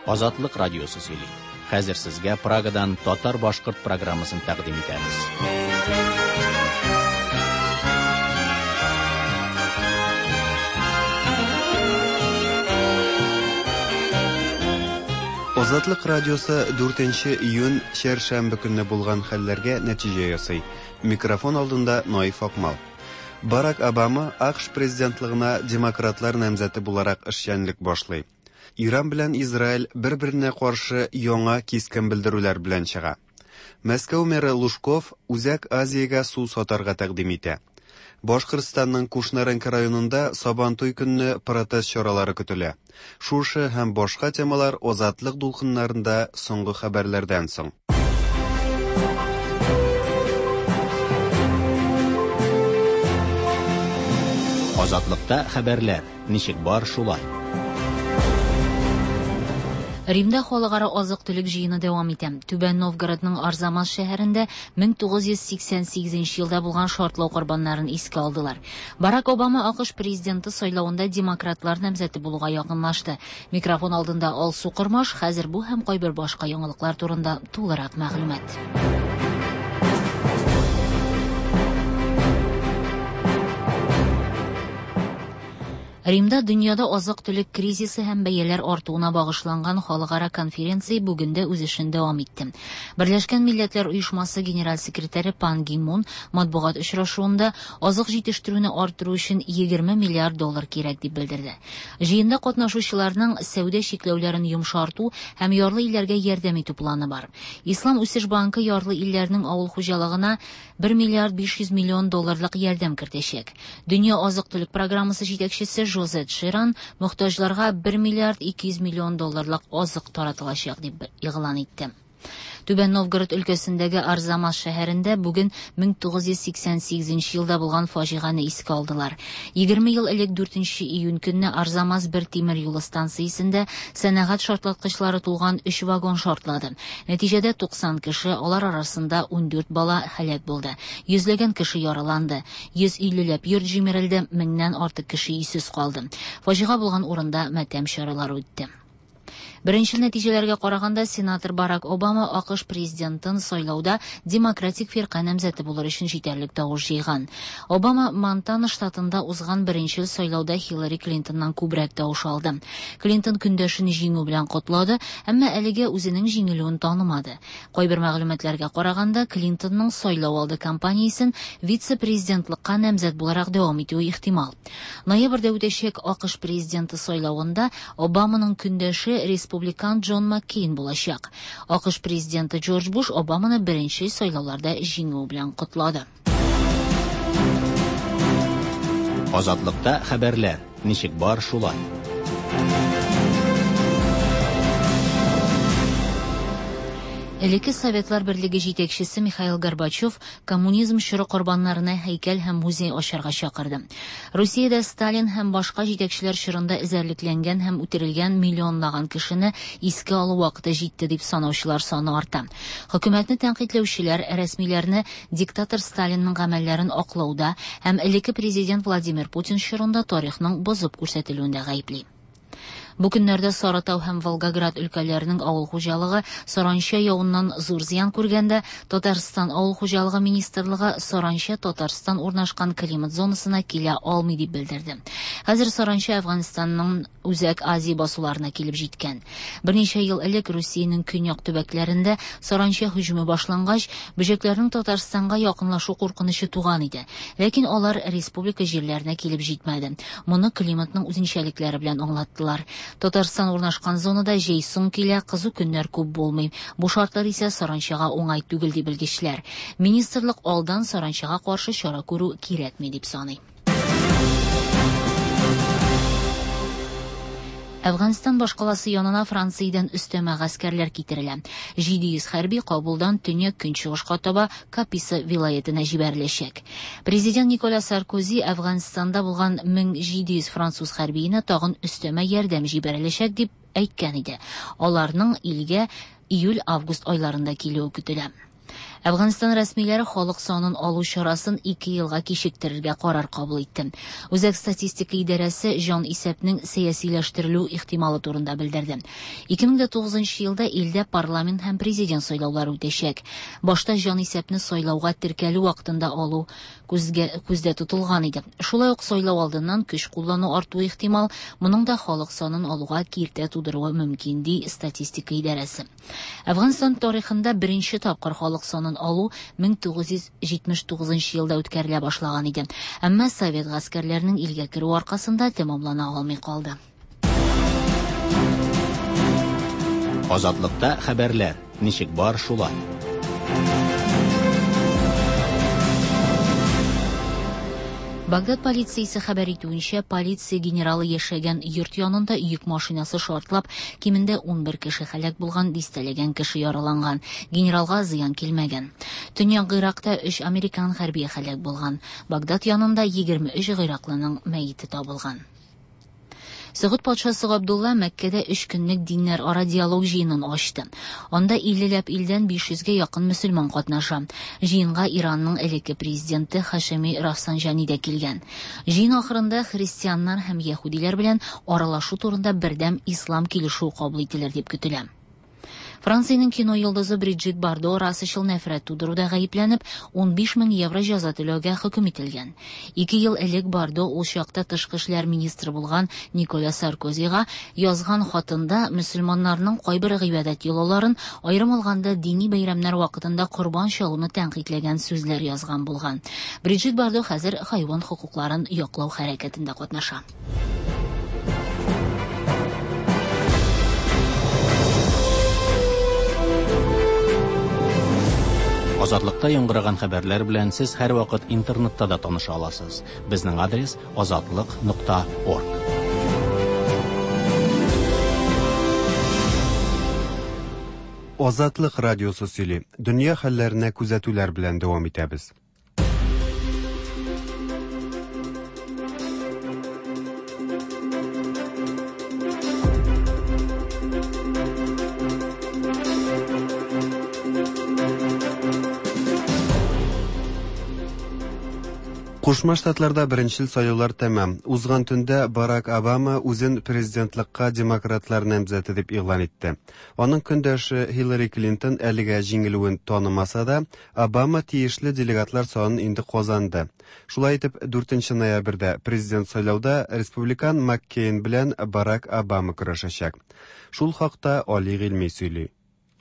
Азатлык радиосы сөйли. Хәзер сезгә Прагадан татар-башкорт программасын тәкъдим итәбез. Азатлык радиосы 4 июнь чәршәмбе көнне булган хәлләргә нәтиҗә ясый. Микрофон алдында Наиф Акмал. Барак Обама АКШ президентлыгына демократлар намзәте буларак эшчәнлек башлый. Иран белән Израиль бер-беренә каршы яңа кискен белдерүләр белән чыга. Мәскәү мэры Лужков Үзәк Азиягә су сатарга тәкъдим итә. Башкортстанның Кушнаренко районында Сабантуй көнне протест чаралары көтелә. Шушы һәм башка темалар Азатлык дулкыннарында соңгы хәбәрләрдән соң. Азатлыкта хәбәрләр ничек бар шулай. Римда халыкара азык-төлек җыены дәвам итә. Түбән Новгородның Арзамас шәһәрендә 1988 елда булган шартлау корбаннарын искә алдылар. Барак Обама АКШ президенты сайлавында демократлар намзәте булуга якынлашты. Микрофон алдында Алсу Кормаш, хәзер бу һәм кайбер башка яңалыклар турында тулырак мәгълүмат. Римда дөньяда азык-төлек кризисы һәм бәяләр артуына багышланган халыкара конференция бүген дә үз эшен дәвам итте. Берләшкән Милләтләр Оешмасы генераль секретаре Пан Ги Мун матбугат очрашуында азык җитештерүне арттыру өчен 20 миллиард доллар кирәк дип белдерде. Җыенда катнашучыларның сәүдә чикләүләрен йомшарту һәм ярлы илләргә ярдәм итү планы бар. Ислам үсеш банкы ярлы илләрнең авыл хуҗалыгына 1 миллиард 500 миллион долларлык ярдәм кертәчәк. Дөнья азык-төлек программасы җитәкчесе Жозет Ширан мохтаҗларга 1 миллиард 200 миллион долларлык азык таратылачак дип игълан итте. Түбән Новгород өлкәсендәге Арзамас шәһәрендә бүген 1988 елда булган фаҗигане искә алдылар. 20 ел элек 4 июнь көнне Арзамас бер тимер юлы станциясендә сәнәгать шартлаткычлары тулган 3 вагон шартлады. Нәтиҗәдә 90 кеше, алар арасында 14 бала һәлак булды. Йөзләгән кеше яраланды. 150 ләп йорт җимерелде, меңнән артык кеше өйсез калды. Фаҗига булган урында матәм чаралары үтте. Беренчел нәтиҗәләргә караганда, сенатор Барак Обама АКШ президентын сайлауда демократик фирка намзәте булыр өчен җитәрлек тавыш җыйган. Обама Монтана штатында узган беренчел сайлауда Хиллари Клинтоннан күбрәк тавыш алды. Клинтон көндәшен җиңү белән котлады, әмма әлегә үзенең җиңелүен танымады. Кайбер мәгълүматларга караганда, Клинтонның сайлау алды кампаниясен вице-президентлыкка намзәт буларак дәвам итүе ихтимал. Ноябрьдә үтәчәк АКШ президенты сайлавында Обаманың көндәше республикан Джон Маккейн булачак. АКШ президенты Джордж Буш Обаманы беренче сайлауларда җиңү белән котлады. Азатлыкта хәбәрләр ничек бар шулай. Элекке Советлар Берлеге җитәкчесе Михаил Горбачев коммунизм чоры корбаннарына һәйкәл һәм музей ачарга чакырды. Русиядә Сталин һәм башка җитәкчеләр чорында эзәрлекләнгән һәм үтерелгән миллионлаган кешене искә алу вакыты җитте дип санаучылар саны арта. Хөкүмәтне тәнкыйтьләүчеләр рәсмиләрне диктатор Сталинның гамәлләрен аклауда һәм элекке президент Владимир Путин чорында тарихның бозып күрсәтелүендә гаепли. Бу көннәрдә Сарытау һәм Волгоград өлкәләренең авыл хуҗалыгы саранча явыннан зур зыян күргәндә, Татарстан авыл хуҗалыгы министрлыгы саранча Татарстан урнашкан климат зонасына килә алмый дип белдерде. Хәзер саранча Әфганстанның Үзәк Азия басуларына килеп җиткән. Берничә ел элек Русиянең көньяк төбәкләрендә саранча һөҗүме башлангач, бөҗәкләрнең Татарстанга якынлашу куркынычы туган иде. Ләкин алар республика җирләренә килеп җитмәде. Моны климатның үзенчәлекләре белән аңлаттылар. Татарстан урнашкан зонада җәй соң килә, кызу көннәр күп булмый. Бу шартлар исә саранчага уңай түгел ди белгечләр. Министрлык алдан саранчага каршы чара күрү кирәкми дип саный. Әфганстан башкаласы янына Франциядән өстәмә гаскәрләр китерелә. 700 хәрби Кабулдан төньяк көнчыгышка таба Каписа вилаятенә җибәреләчәк. Президент Николя Саркози Әфганстанда булган 1700 француз хәрбиенә тагын өстәмә ярдәм җибәреләчәк дип әйткән иде. Аларның илгә июль-август айларында килүе көтелә. Әфганстан рәсмиләре халык санын алу чарасын 2 елга кичектерергә карар кабул итте. Үзәк статистика идарәсе җан исәпнең сәясиләштерелү ихтималы турында белдерде. 2009 елда илдә парламент һәм президент сайлаулары үтәчәк. Башта җан исәпне сайлауга теркәлү вакытында алу күздә тотылган иде. Шулай ук сайлау алдыннан көч куллану артуы ихтимал, моның да халык санын алуга киртә тудыруы мөмкин, ди статистика идарәсе. Әфганстан тарихында беренче тапкыр халык санын алу 1979 елда үткәрелә башлаган иде. Әмма совет гаскәрләренең илгә керү аркасында тәмамлана алмый калды. Азатлыкта хәбәрләр ничек бар шулай. Багдад полициясе хәбәр итүенчә, полиция генералы яшәгән йорт янында йөк машинасы шартлап, кимендә 11 кеше һәлак булган, дистәләгән кеше яраланган. Генералга зыян килмәгән. Төньяк Гыйракта 3 американ хәрбие һәлак булган. Багдад янында 23 гыйраклының мәете табылган. Согуд патшасы Габдулла Мәккәдә 3 көнлек диннәр ара диалог җыенын ачты. Анда 50ләп илдән 500гә якын мөселман катнаша. Җыенга Иранның элекке президенты Хашеми Рафсанҗани дә килгән. Җыен ахырында христианнар һәм яһүдиләр белән аралашу турында бердәм ислам килешүе кабул ителер дип көтелә. Франциянең кино йолдызы Бриджит Бардо расачыл нәфрәт тудыруда гаепләнеп, 15 мең евро җәза түләүгә хөкем ителгән. 2 ел элек Бардо ул чакта тышкы эшләр министры булган Николя Саркозига язган хатында мөселманнарның кайбер гыйбадәт йолаларын, аерым алганда дини бәйрәмнәр вакытында корбан чалуны тәнкыйтьләгән сүзләр язган булган. Бриджит Бардо хәзер хайван хокукларын яклау хәрәкәтендә катнаша. Азатлыкта яңгыраган хәбәрләр белән сез һәрвакыт интернетта да таныша аласыз. Безнең адрес azatliq.org. Азатлык радиосы сөйли. Дөнья хәлләренә күзәтүләр белән дәвам итәбез. Кушма Штатларда беренчел сайлаулар тәмам. Узган төндә Барак Обама үзен президентлыкка демократлар намзәте дип игълан итте. Аның көндәше Хиллари Клинтон әлегә җиңелүен танымаса да, Обама тиешле делегатлар санын инде казанды. Шулай итеп, 4 ноябрьдә президент сайлауда республикан Маккейн белән Барак Обама көрәшәчәк. Шул хакта Али Гыйльми сөйли.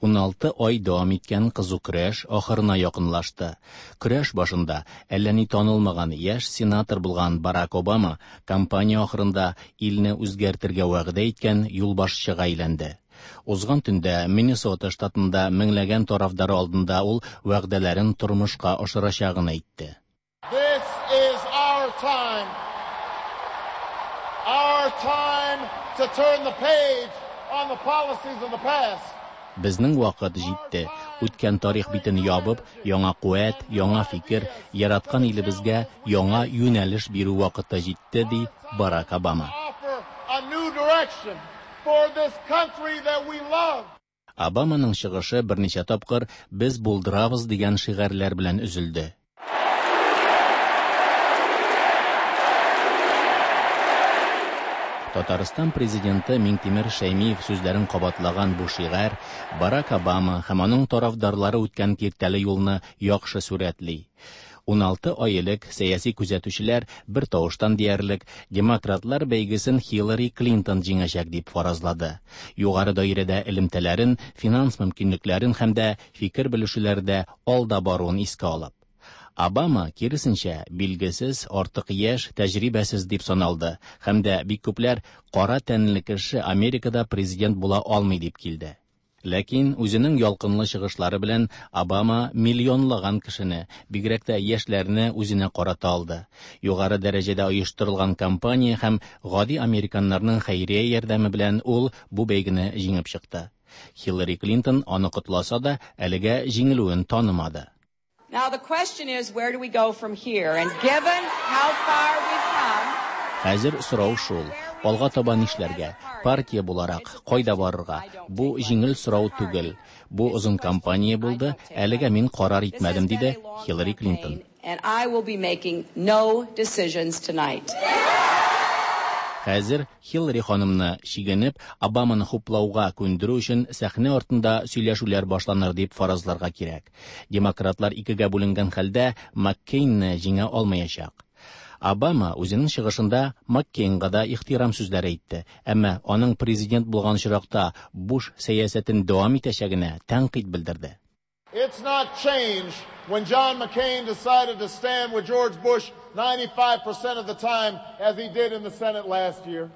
16 ай дәвам иткән кызу көрәш ахырына якынлашты. Көрәш башында әллә ни танылмаган яшь сенатор булган Барак Обама кампания ахырында илне үзгәртергә вәгъдә иткән юлбашчыга әйләнде. Узган төндә Миннесота штатында меңләгән тарафдары алдында ул вәгъдәләрен тормышка ашырачагын әйтте. This is our time. Our time to turn the page on the policies of the past. Безнең вакыт җитте. Үткән тарих битен ябып, яңа куәт, яңа фикер, яраткан илебезгә яңа юнәлеш бирү вакыты җитте, ди Барак Обама. Обаманың чыгышы берничә тапкыр «Без булдырабыз» дигән шигарьләр белән өзелде. Татарстан президенты Миңтимер Шәймиев сүзләрен кабатлаган бу шигарь Барак Обама һәм аның тарафдарлары үткән киртәле юлны яхшы сурәтли. 16 ай элек сәяси күзәтүчеләр бер тавыштан диярлек демократлар бәйгесен Хиллари Клинтон җиңәчәк дип фаразлады. Югары даирәдә элемтәләрен, финанс мөмкинлекләрен һәм дә фикер белешүләрдә алда баруын искә алып. Обама, киресенчә, билгесез, артык яшь, тәҗрибәсез дип саналды һәм дә бик күпләр кара тәнле кеше Америкада президент була алмый дип килде. Ләкин үзенең ялкынлы чыгышлары белән Обама миллионлаган кешене, бигрәк тә яшьләрне үзенә карата алды. Югары дәрәҗәдә оештырылган кампания һәм гади американнарның хәйрия ярдәме белән ул бу бәйгене җиңеп чыкты. Хиллари Клинтон аны котласа да, әлегә җиңелүен танымады. Now the question is, where do we go from here? And given how far we've come, Хәзер сорау шул, алга таба нишләргә? Партия буларак, кайда барырга? Бу җиңел сорау түгел. Бу озын кампания булды, әлегә мин карар итмәдем, диде Хиллари Клинтон. And I will be making no decisions tonight. Хәзер Хиллари ханымны чигенеп, Обаманы хуплауга күндерү өчен сәхнә артында сөйләшүләр башланыр дип фаразларга кирәк. Демократлар икегә бүленгән хәлдә Маккейнны җиңә алмаячак. Обама үзенең чыгышында Маккейнга да ихтирам сүзләре әйтте, әмма аның президент булган очракта Буш сәясәтен дәвам итәчәгенә тәнкыйть белдерде. It's not change when John McCain decided to stand with George Bush 95% of the time as he did in the Senate last year.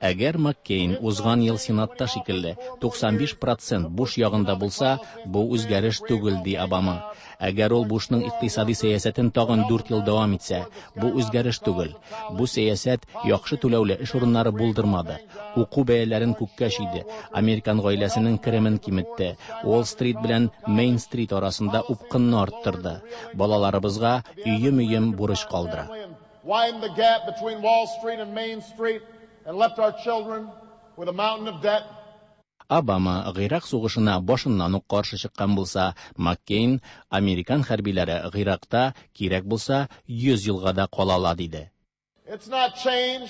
Әгәр Маккейн узган ел Сенатта шикелле 95 процент Буш ягында булса, бу үзгәреш түгел, ди Обама. Әгәр ул Бушның икътисади сәясәтен тагын 4 ел дәвам итсә, бу үзгәреш түгел. Бу сәясәт яхшы түләүле эш урыннары булдырмады. Уку бәяләрен күккә чөйде. Американ гаиләсенең керемен киметте. Уолл-стрит белән Мейн-стрит арасында упкынны арттырды. Балаларыбызга өем-өем бурыч калдыра. Widen the gap between Wall Street and Main Street and left our children with a mountain of debt. Обама Гыйрак сугышына башыннан ук каршы чыккан булса, Маккейн американ хәрбиләре Гыйракта кирәк булса 100 елга да кала ала диде. It's not change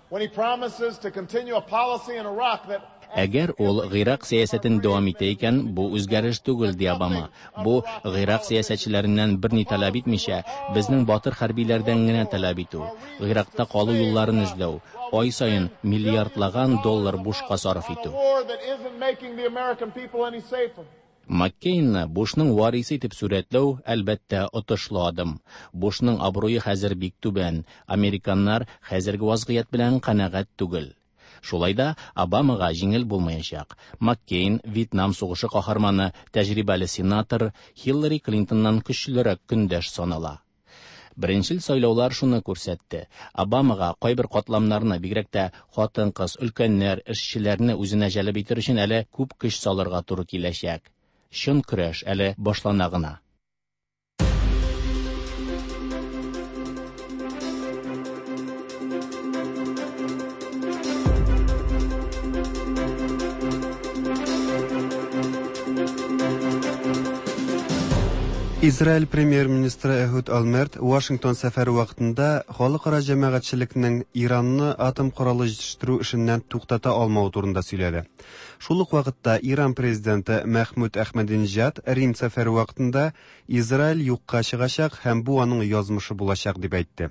when he promises to continue a policy in Iraq that Әгәр ул Гыйрак сәясәтен дәвам итә икән, бу үзгәреш түгел, ди Обама. Бу Гыйрак сәясәтчеләреннән берни таләп итмичә, безнең батыр хәрбиләрдән генә таләп итү, Гыйракта калу юлларын эзләү, ай саен миллиардлаган доллар бушка сарыф итү. war that isn't making the American people any safer. Маккейнны Бушның варисы итеп сурәтләү, әлбәттә, отышлы адым. Бушның абруе хәзер бик түбән. Американнар хәзерге вазгыять белән канәгать түгел. Шулай да Обамага җиңел булмаячак. Маккейн, Вьетнам сугышы каһарманы, тәҗрибәле сенатор Хиллари Клинтоннан көчлерәк көндәш санала. Беренчел сайлаулар шуны күрсәтте. Обамага кайбер катламнарны, бигрәк тә хатын-кыз, өлкәннәр, эшчеләрне үзенә җәлеп итер өчен әле күп көч салырга туры киләчәк. Чын көрәш әле башлана гына. Израиль премьер-министры Эхуд Олмерт Вашингтон сәфәре вакытында халыкара җәмәгатьчелекнең Иранны атом коралы җитештерү эшеннән туктата алмавы турында сөйләде. Шул ук вакытта Иран президенты Мәхмүд Әхмәдинҗад Рим сәфәре вакытында Израиль юкка чыгачак һәм бу аның язмышы булачак дип әйтте.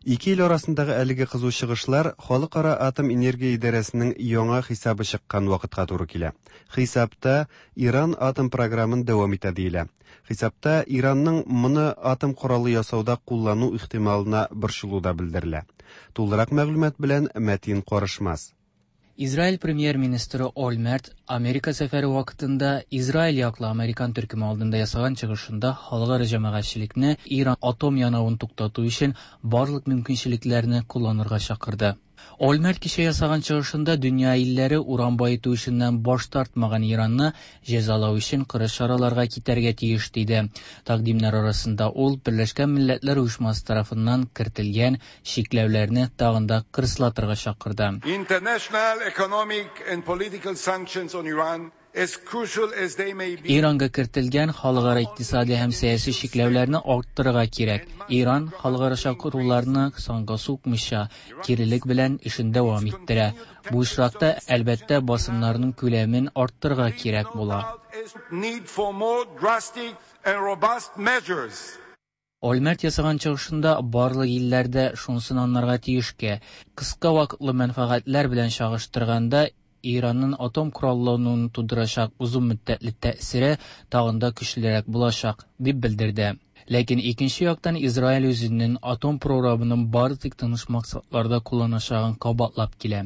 Ике ил арасындагы әлеге кызу чыгышлар Халыкара атом энергия идарәсенең яңа хисабы чыккан вакытка туры килә. Хисапта Иран атом програмын дәвам итә диелә. Хисапта Иранның моны атом коралы ясауда куллану ихтималына борчылу да белдерелә. Тулырак мәгълүмат белән Мәтин Карышмас. Израиль премьер-министры Олмерт Америка сәфәре вакытында Израиль яклы американ төркеме алдында ясаган чыгышында халыкара җәмәгатьчелекне Иран атом янавын туктату өчен барлык мөмкинчелекләрне кулланырга чакырды. Олмерт кичә ясаган чыгышында дөнья илләре уран баету эшеннән баш тартмаган Иранны җәзалау өчен кырыс чараларга китәргә тиеш диде. Тәкъдимнәр арасында ул Берләшкән Милләтләр Оешмасы тарафыннан кертелгән чикләүләрне тагын да кырыслатырга чакырды. International economic and political sanctions on Iran, as crucial as they may be, Иранга кертелгән халыкара икътисади һәм сәяси чикләүләрне арттырырга кирәк. Иран халыкара чакыруларны санга сукмыйча, кирелек белән эшен дәвам иттерә. Бу очракта, әлбәттә, басымнарның күләмен арттырырга кирәк була. need for more drastic and robust measures. Олмерт ясаган чыгышында барлык илләрдә шунысын анларга тиешкә, кыска вакытлы мәнфәгатьләр белән чагыштырганда Иранның атом кораллануын тудырачак озын мөддәтле тәэсире тагын да көчлерәк булачак, дип белдерде. Ләкин икенче яктан Израиль үзенең атом програмын бары тик тыныч максатларда кулланачагын кабатлап килә.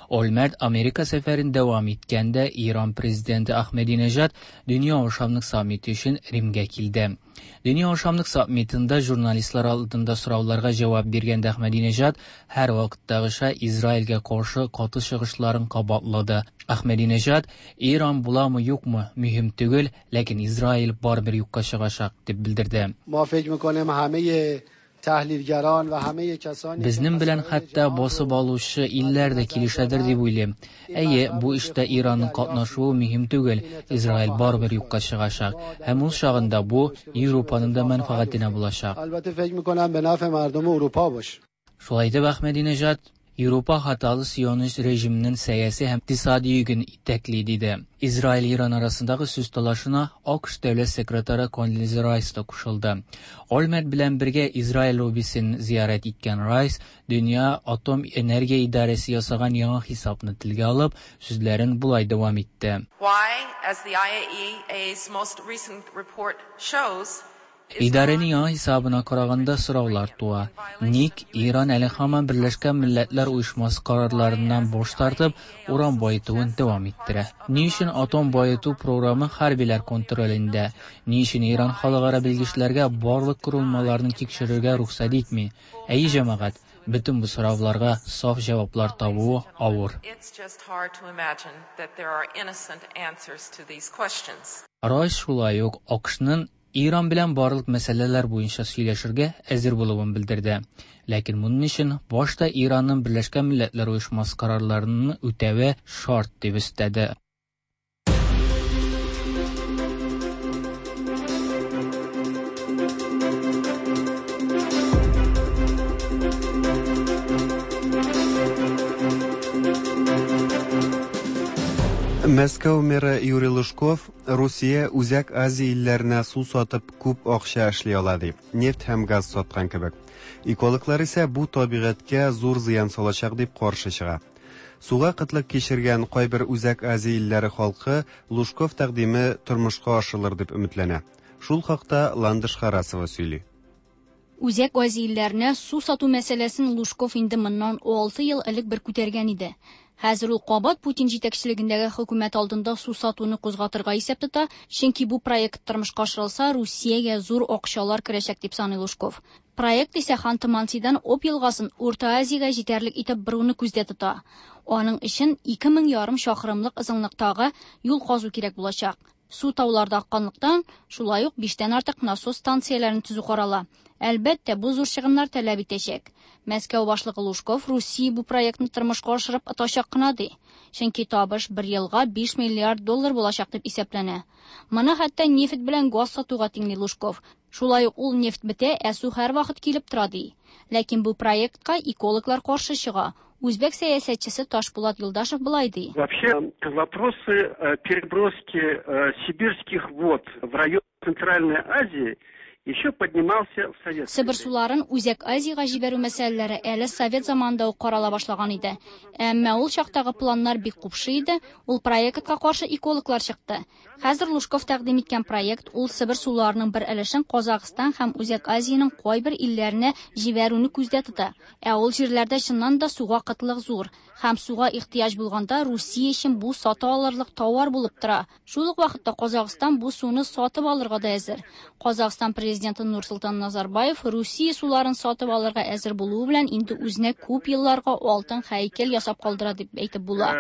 Олмерт Америка сәфәрен дәвам иткәндә Иран президенты Ахмединежад Дөнья ашамлык саммиты өчен Римгә килде. Дөнья ашамлык саммитында журналистлар алдында сорауларга җавап биргәндә Ахмединежад һәр вакыттагыча Израильгә каршы каты чыгышларын кабатлады. Ахмединежад Иран буламы юкмы мөһим түгел, ләкин Израиль барыбер юкка чыгачак дип белдерде. ما فکر میکنیم همه Безнең белән хәтта басып алучы илләр дә килешәдер дип уйлыйм. Әйе, бу эштә Иранның катнашуы мөһим түгел, Израиль барыбер юкка чыгачак. Һәм ул чагында бу Европаның да мәнфәгатенә булачак. Шулай итеп, Әхмәдинеҗад Европа хаталы сионист режимының сәяси һәм икътисади йөген итәкли, диде. Израиль-Иран арасындагы сүз талашына АКШ дәүләт секретаре Кондолиза Райс та кушылды. Ольмерт белән бергә Израиль лоббисын зиярәт иткән Райс, Дөнья атом энергия идарәсе ясаган яңа хисапны телгә алып, сүзләрен болай дәвам итте. Why, as the IAEA's most recent report shows, Идарәнең яңа хисабына караганда сораулар туа. Ник Иран әле һаман Берләшкән Милләтләр Оешмасы карарларыннан баш тартып, уран баетуын дәвам иттерә? Ни өчен атом баету програмы хәрбиләр контролендә? Ни өчен Иран халыкара белгечләргә барлык корылмаларны тикшерергә рөхсәт итми? Әйе, җәмәгать, бөтен бу сорауларга саф җаваплар табуы авыр. Райс шулай ук АКШның Иран белән барлык мәсьәләләр буенча сөйләшергә әзер булуын белдерде. Ләкин моның өчен башта Иранның Берләшкән Милләтләр Оешмасы карарларын үтәве шарт, дип өстәде. Мәскәү мэры Юрий Лужков Русия Үзәк Азия илләренә су сатып күп акча эшли ала ди, нефть һәм газ саткан кебек. Экологлар исә бу табигатькә зур зыян салачак дип каршы чыга. Суга кытлык кичергән кайбер Үзәк Азия илләре халкы Лужков тәкъдиме тормышка ашырылыр дип өметләнә. Шул хакта Ландыш Харасова сөйли. Үзәк Азия илләренә су сату мәсьәләсен Лужков инде моннан алты ел элек бер күтәргән иде. Хәзер ул кабат Путин җитәкчелегендәге хөкүмәт алдында су сатуны кузгатырга исәп тота, чөнки бу проект тормышка ашырылса, Русиягә зур акчалар керәчәк дип саный Лужков. Проект исә Ханты-Мансидан Обь елгасын Урта Азиягә җитәрлек итеп боруны күздә тота. Аның өчен ике мең ярым чакрымлык озынлыктагы юл казу кирәк булачак. Су тауларда акканлыктан, шулай ук биштән артык насос станцияләрен төзү карала. Әлбәттә, бу зур чыгымнар таләп итәчәк. Мәскәү башлыгы Лужков Русия бу проектны тормышка ашырып отачак кына ди. Чөнки табыш бер елга 5 миллиард доллар булачак дип исәпләнә. Моны хәтта нефть белән газ сатуга тиңли Лужков. Шулай ук ул нефть бетә, ә су һәрвакыт килеп тора ди. Ләкин бу проектка экологлар каршы чыга. Үзбәк сәясәтчесе Ташпулат Юлдашев болай ди. Вообще вопросы переброски сибирских вод в район Центральной Азии еще поднимался в советское Себер суларын Үзәк Азиягә җибәрү мәсьәләләре әле совет заманында ук карала башлаган иде. Әмма ул чактагы планнар бик купшы иде, ул проектка каршы экологлар чыкты. Хәзер Лужков тәкъдим иткән проект ул Себер суларының бер өлешен Казахстан һәм Үзәк Азиянең кайбер илләренә җибәрүне күздә тота. Ә ул җирләрдә чыннан да суга кытлык зур. Һәм суга ихтыяҗ булганда Русия өчен бу сата алырлык товар булып тора. Шул ук вакытта Казахстан бу суны сатып алырга да әзер. Казахстан президенты Нурсултан Назарбаев Русия суларын сатып алырга әзер булуы белән инде үзенә күп елларга алтын һәйкәл ясап калдыра дип әйтеп була.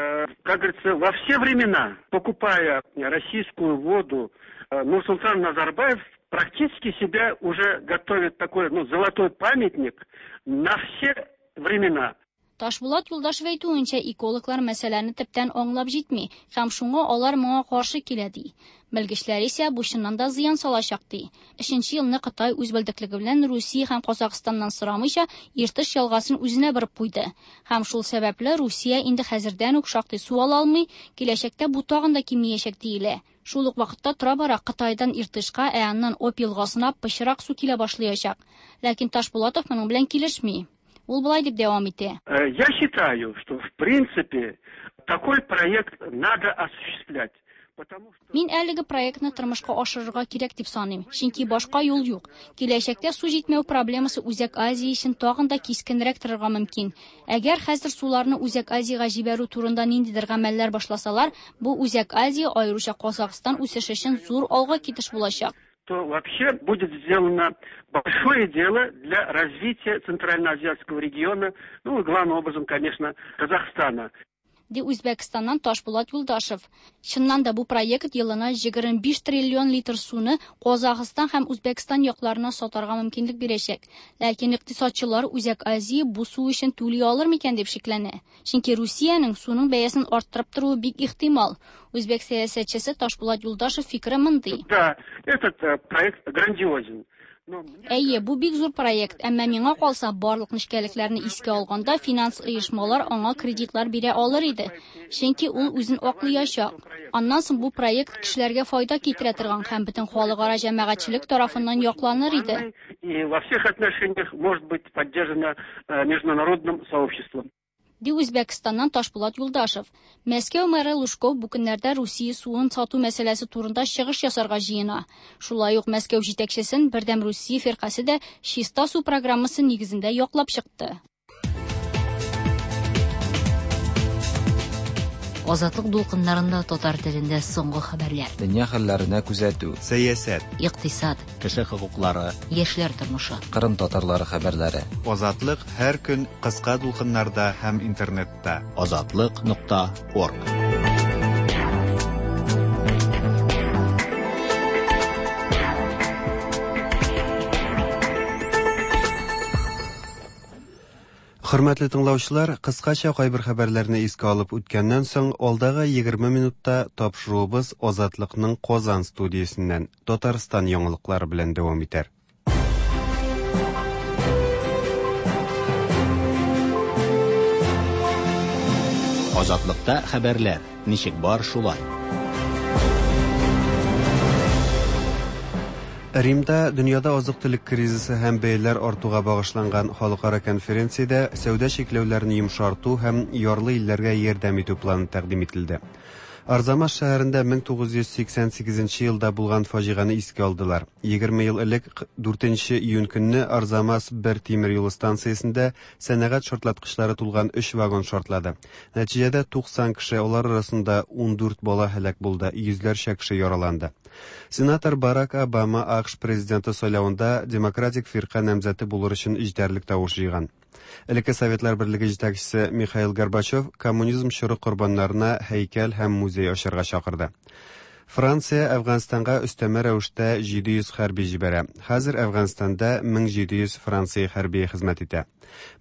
Как говорится, во все времена, покупая российскую воду, Нурсултан Назарбаев практически себя уже готовит такой, ну, золотой памятник на все времена. Ташбулат Юлдашев әйтүенчә, экологлар мәсьәләне төптән аңлап җитми һәм шуңа алар моңа каршы килә ди. Белгечләр исә бу чыннан да зыян салачак ди. Өченче елны Кытай үз белдеклеге белән Русия һәм Казахстаннан сорамыйча Иртыш елгасын үзенә борып куйды. Һәм шул сәбәпле Русия инде хәзердән үк шактый су ала алмый, киләчәктә бу тагын да кимиячәк диелә. Шул ук вакытта тора-бара Кытайдан Иртышка, ә аннан Обь елгасына пычрак су килә башлаячак. Ләкин Ташбулатов моның белән килешми. Ул болай дип дәвам итә. Я считаю, что в принципе такой проект надо осуществлять. Мин әлеге проектны тормышка ашырырга кирәк дип саныйм, чөнки башка юл юк. Киләчәктә су җитмәү проблемасы Үзәк Азия өчен тагын да кискенрәк торырга мөмкин. Әгәр хәзер суларны Үзәк Азиягә җибәрү турында ниндидер гамәлләр башласалар, бу Үзәк Азия, аеруча Казахстан үсеше өчен зур алга китеш булачак. То вообще будет сделано большое дело для развития Центральноазиатского региона, ну и главным образом, конечно, Казахстана. ди Үзбәкстаннан Ташбулат Юлдашев. Чыннан да бу проект елына 25 триллион литр суны Казахстан һәм Үзбәкстан якларына сатарга мөмкинлек бирәчәк. Ләкин икътисадчылар Үзәк Азия бу су өчен түли алыр микән дип шикләнә. Чөнки Русиянең суның бәясен арттырып торуы бик ихтимал. Үзбәк сәясәтчесе Ташбулат Юлдашев фикере мондый. Да, этот э, проект грандиозен. Әйе, бу бик зур проект, әмма миңа калса, барлык нечкәлекләрне искә алганда, финанс оешмалар аңа кредитлар бирә алыр иде, чөнки ул үзен аклыячак. Аннан соң бу проект кешеләргә файда китерә торган һәм бөтен халыкара җәмәгатьчелек тарафыннан якланыр иде. И во всех отношениях может быть поддержана э, международным сообществом. Ди Үзбәкстаннан Ташбулат Юлдашев. Мәскәү мэры Лужков бу көннәрдә Русия суын сату мәсьәләсе турында чыгыш ясарга җыена. Шулай ук Мәскәү җитәкчесен Бердәм Русия фиркасе дә Чиста су программасы нигезендә яклап чыкты. Азатлык дулкыннарында татар телендә соңгы хәбәрләр. Дөнья хәлләренә күзәтү. Сәясәт. Икътисад. Кеше хокуклары. Яшьләр тормышы. Кырым татарлары хәбәрләре. Азатлык һәр көн кыска дулкыннарда һәм интернетта. Азатлык.орг. Хөрмәтле тыңлаучылар, кыскача кайбер хәбәрләрне искә алып үткәннән соң, алдагы 20 минутта тапшыруыбыз Азатлыкның Казан студиясеннән Татарстан яңалыклары белән дәвам итәр. Азатлыкта хәбәрләр ничек бар шулай. Римда дөньяда азык-төлек кризисы һәм бәяләр артуга багышланган халыкара конференциядә сәүдә чикләүләрен йомшарту һәм ярлы илләргә ярдәм итү планы тәкъдим ителде. Арзамас шәһәрендә 1988 елда булган фаҗигане искә алдылар. 20 ел элек 4 июнь көнне Арзамас бер тимер юлы станциясендә сәнәгать шартлаткычлары тулган 3 вагон шартлады. Нәтиҗәдә 90 кеше, алар арасында 14 бала һәлак булды, йөзләрчә кеше яраланды. Сенатор Барак Обама АКШ президенты сайлавында демократик фирка намзәте булыр өчен җитәрлек тавыш җыйган. Элекке Советлар Берлеге җитәкчесе Михаил Горбачев коммунизм чоры корбаннарына һәйкәл һәм музей ачарга чакырды. Франция Әфганстанга өстәмә рәвештә 700 хәрби җибәрә. Хәзер Әфганстанда 1700 Франция хәрбие хезмәт итә.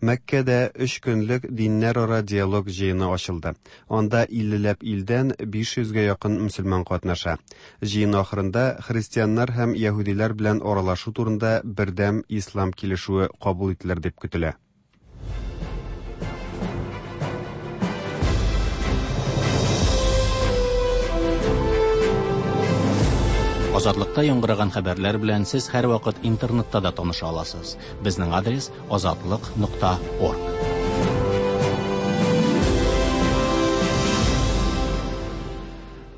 Мәккәдә 3 көнлек диннәрара диалог җыены ачылды. Анда 50ләп илдән 500гә якын мөселман катнаша. Җыен ахырында христианнар һәм яһүдиләр белән аралашу турында бердәм ислам килешүе кабул ителер дип көтелә. Азатлыкта яңгыраган хәбәрләр белән сез һәрвакыт интернетта да таныша аласыз. Безнең адрес азатлык.орг.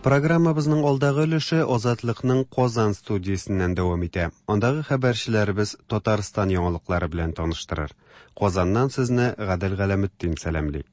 Программабызның алдагы өлеше Азатлыкның Казан студиясеннән дәвам итә. Андагы хәбәрчеләребез Татарстан яңалыклары белән таныштырыр. Казаннан сезне Гадел Галәметдин сәламли.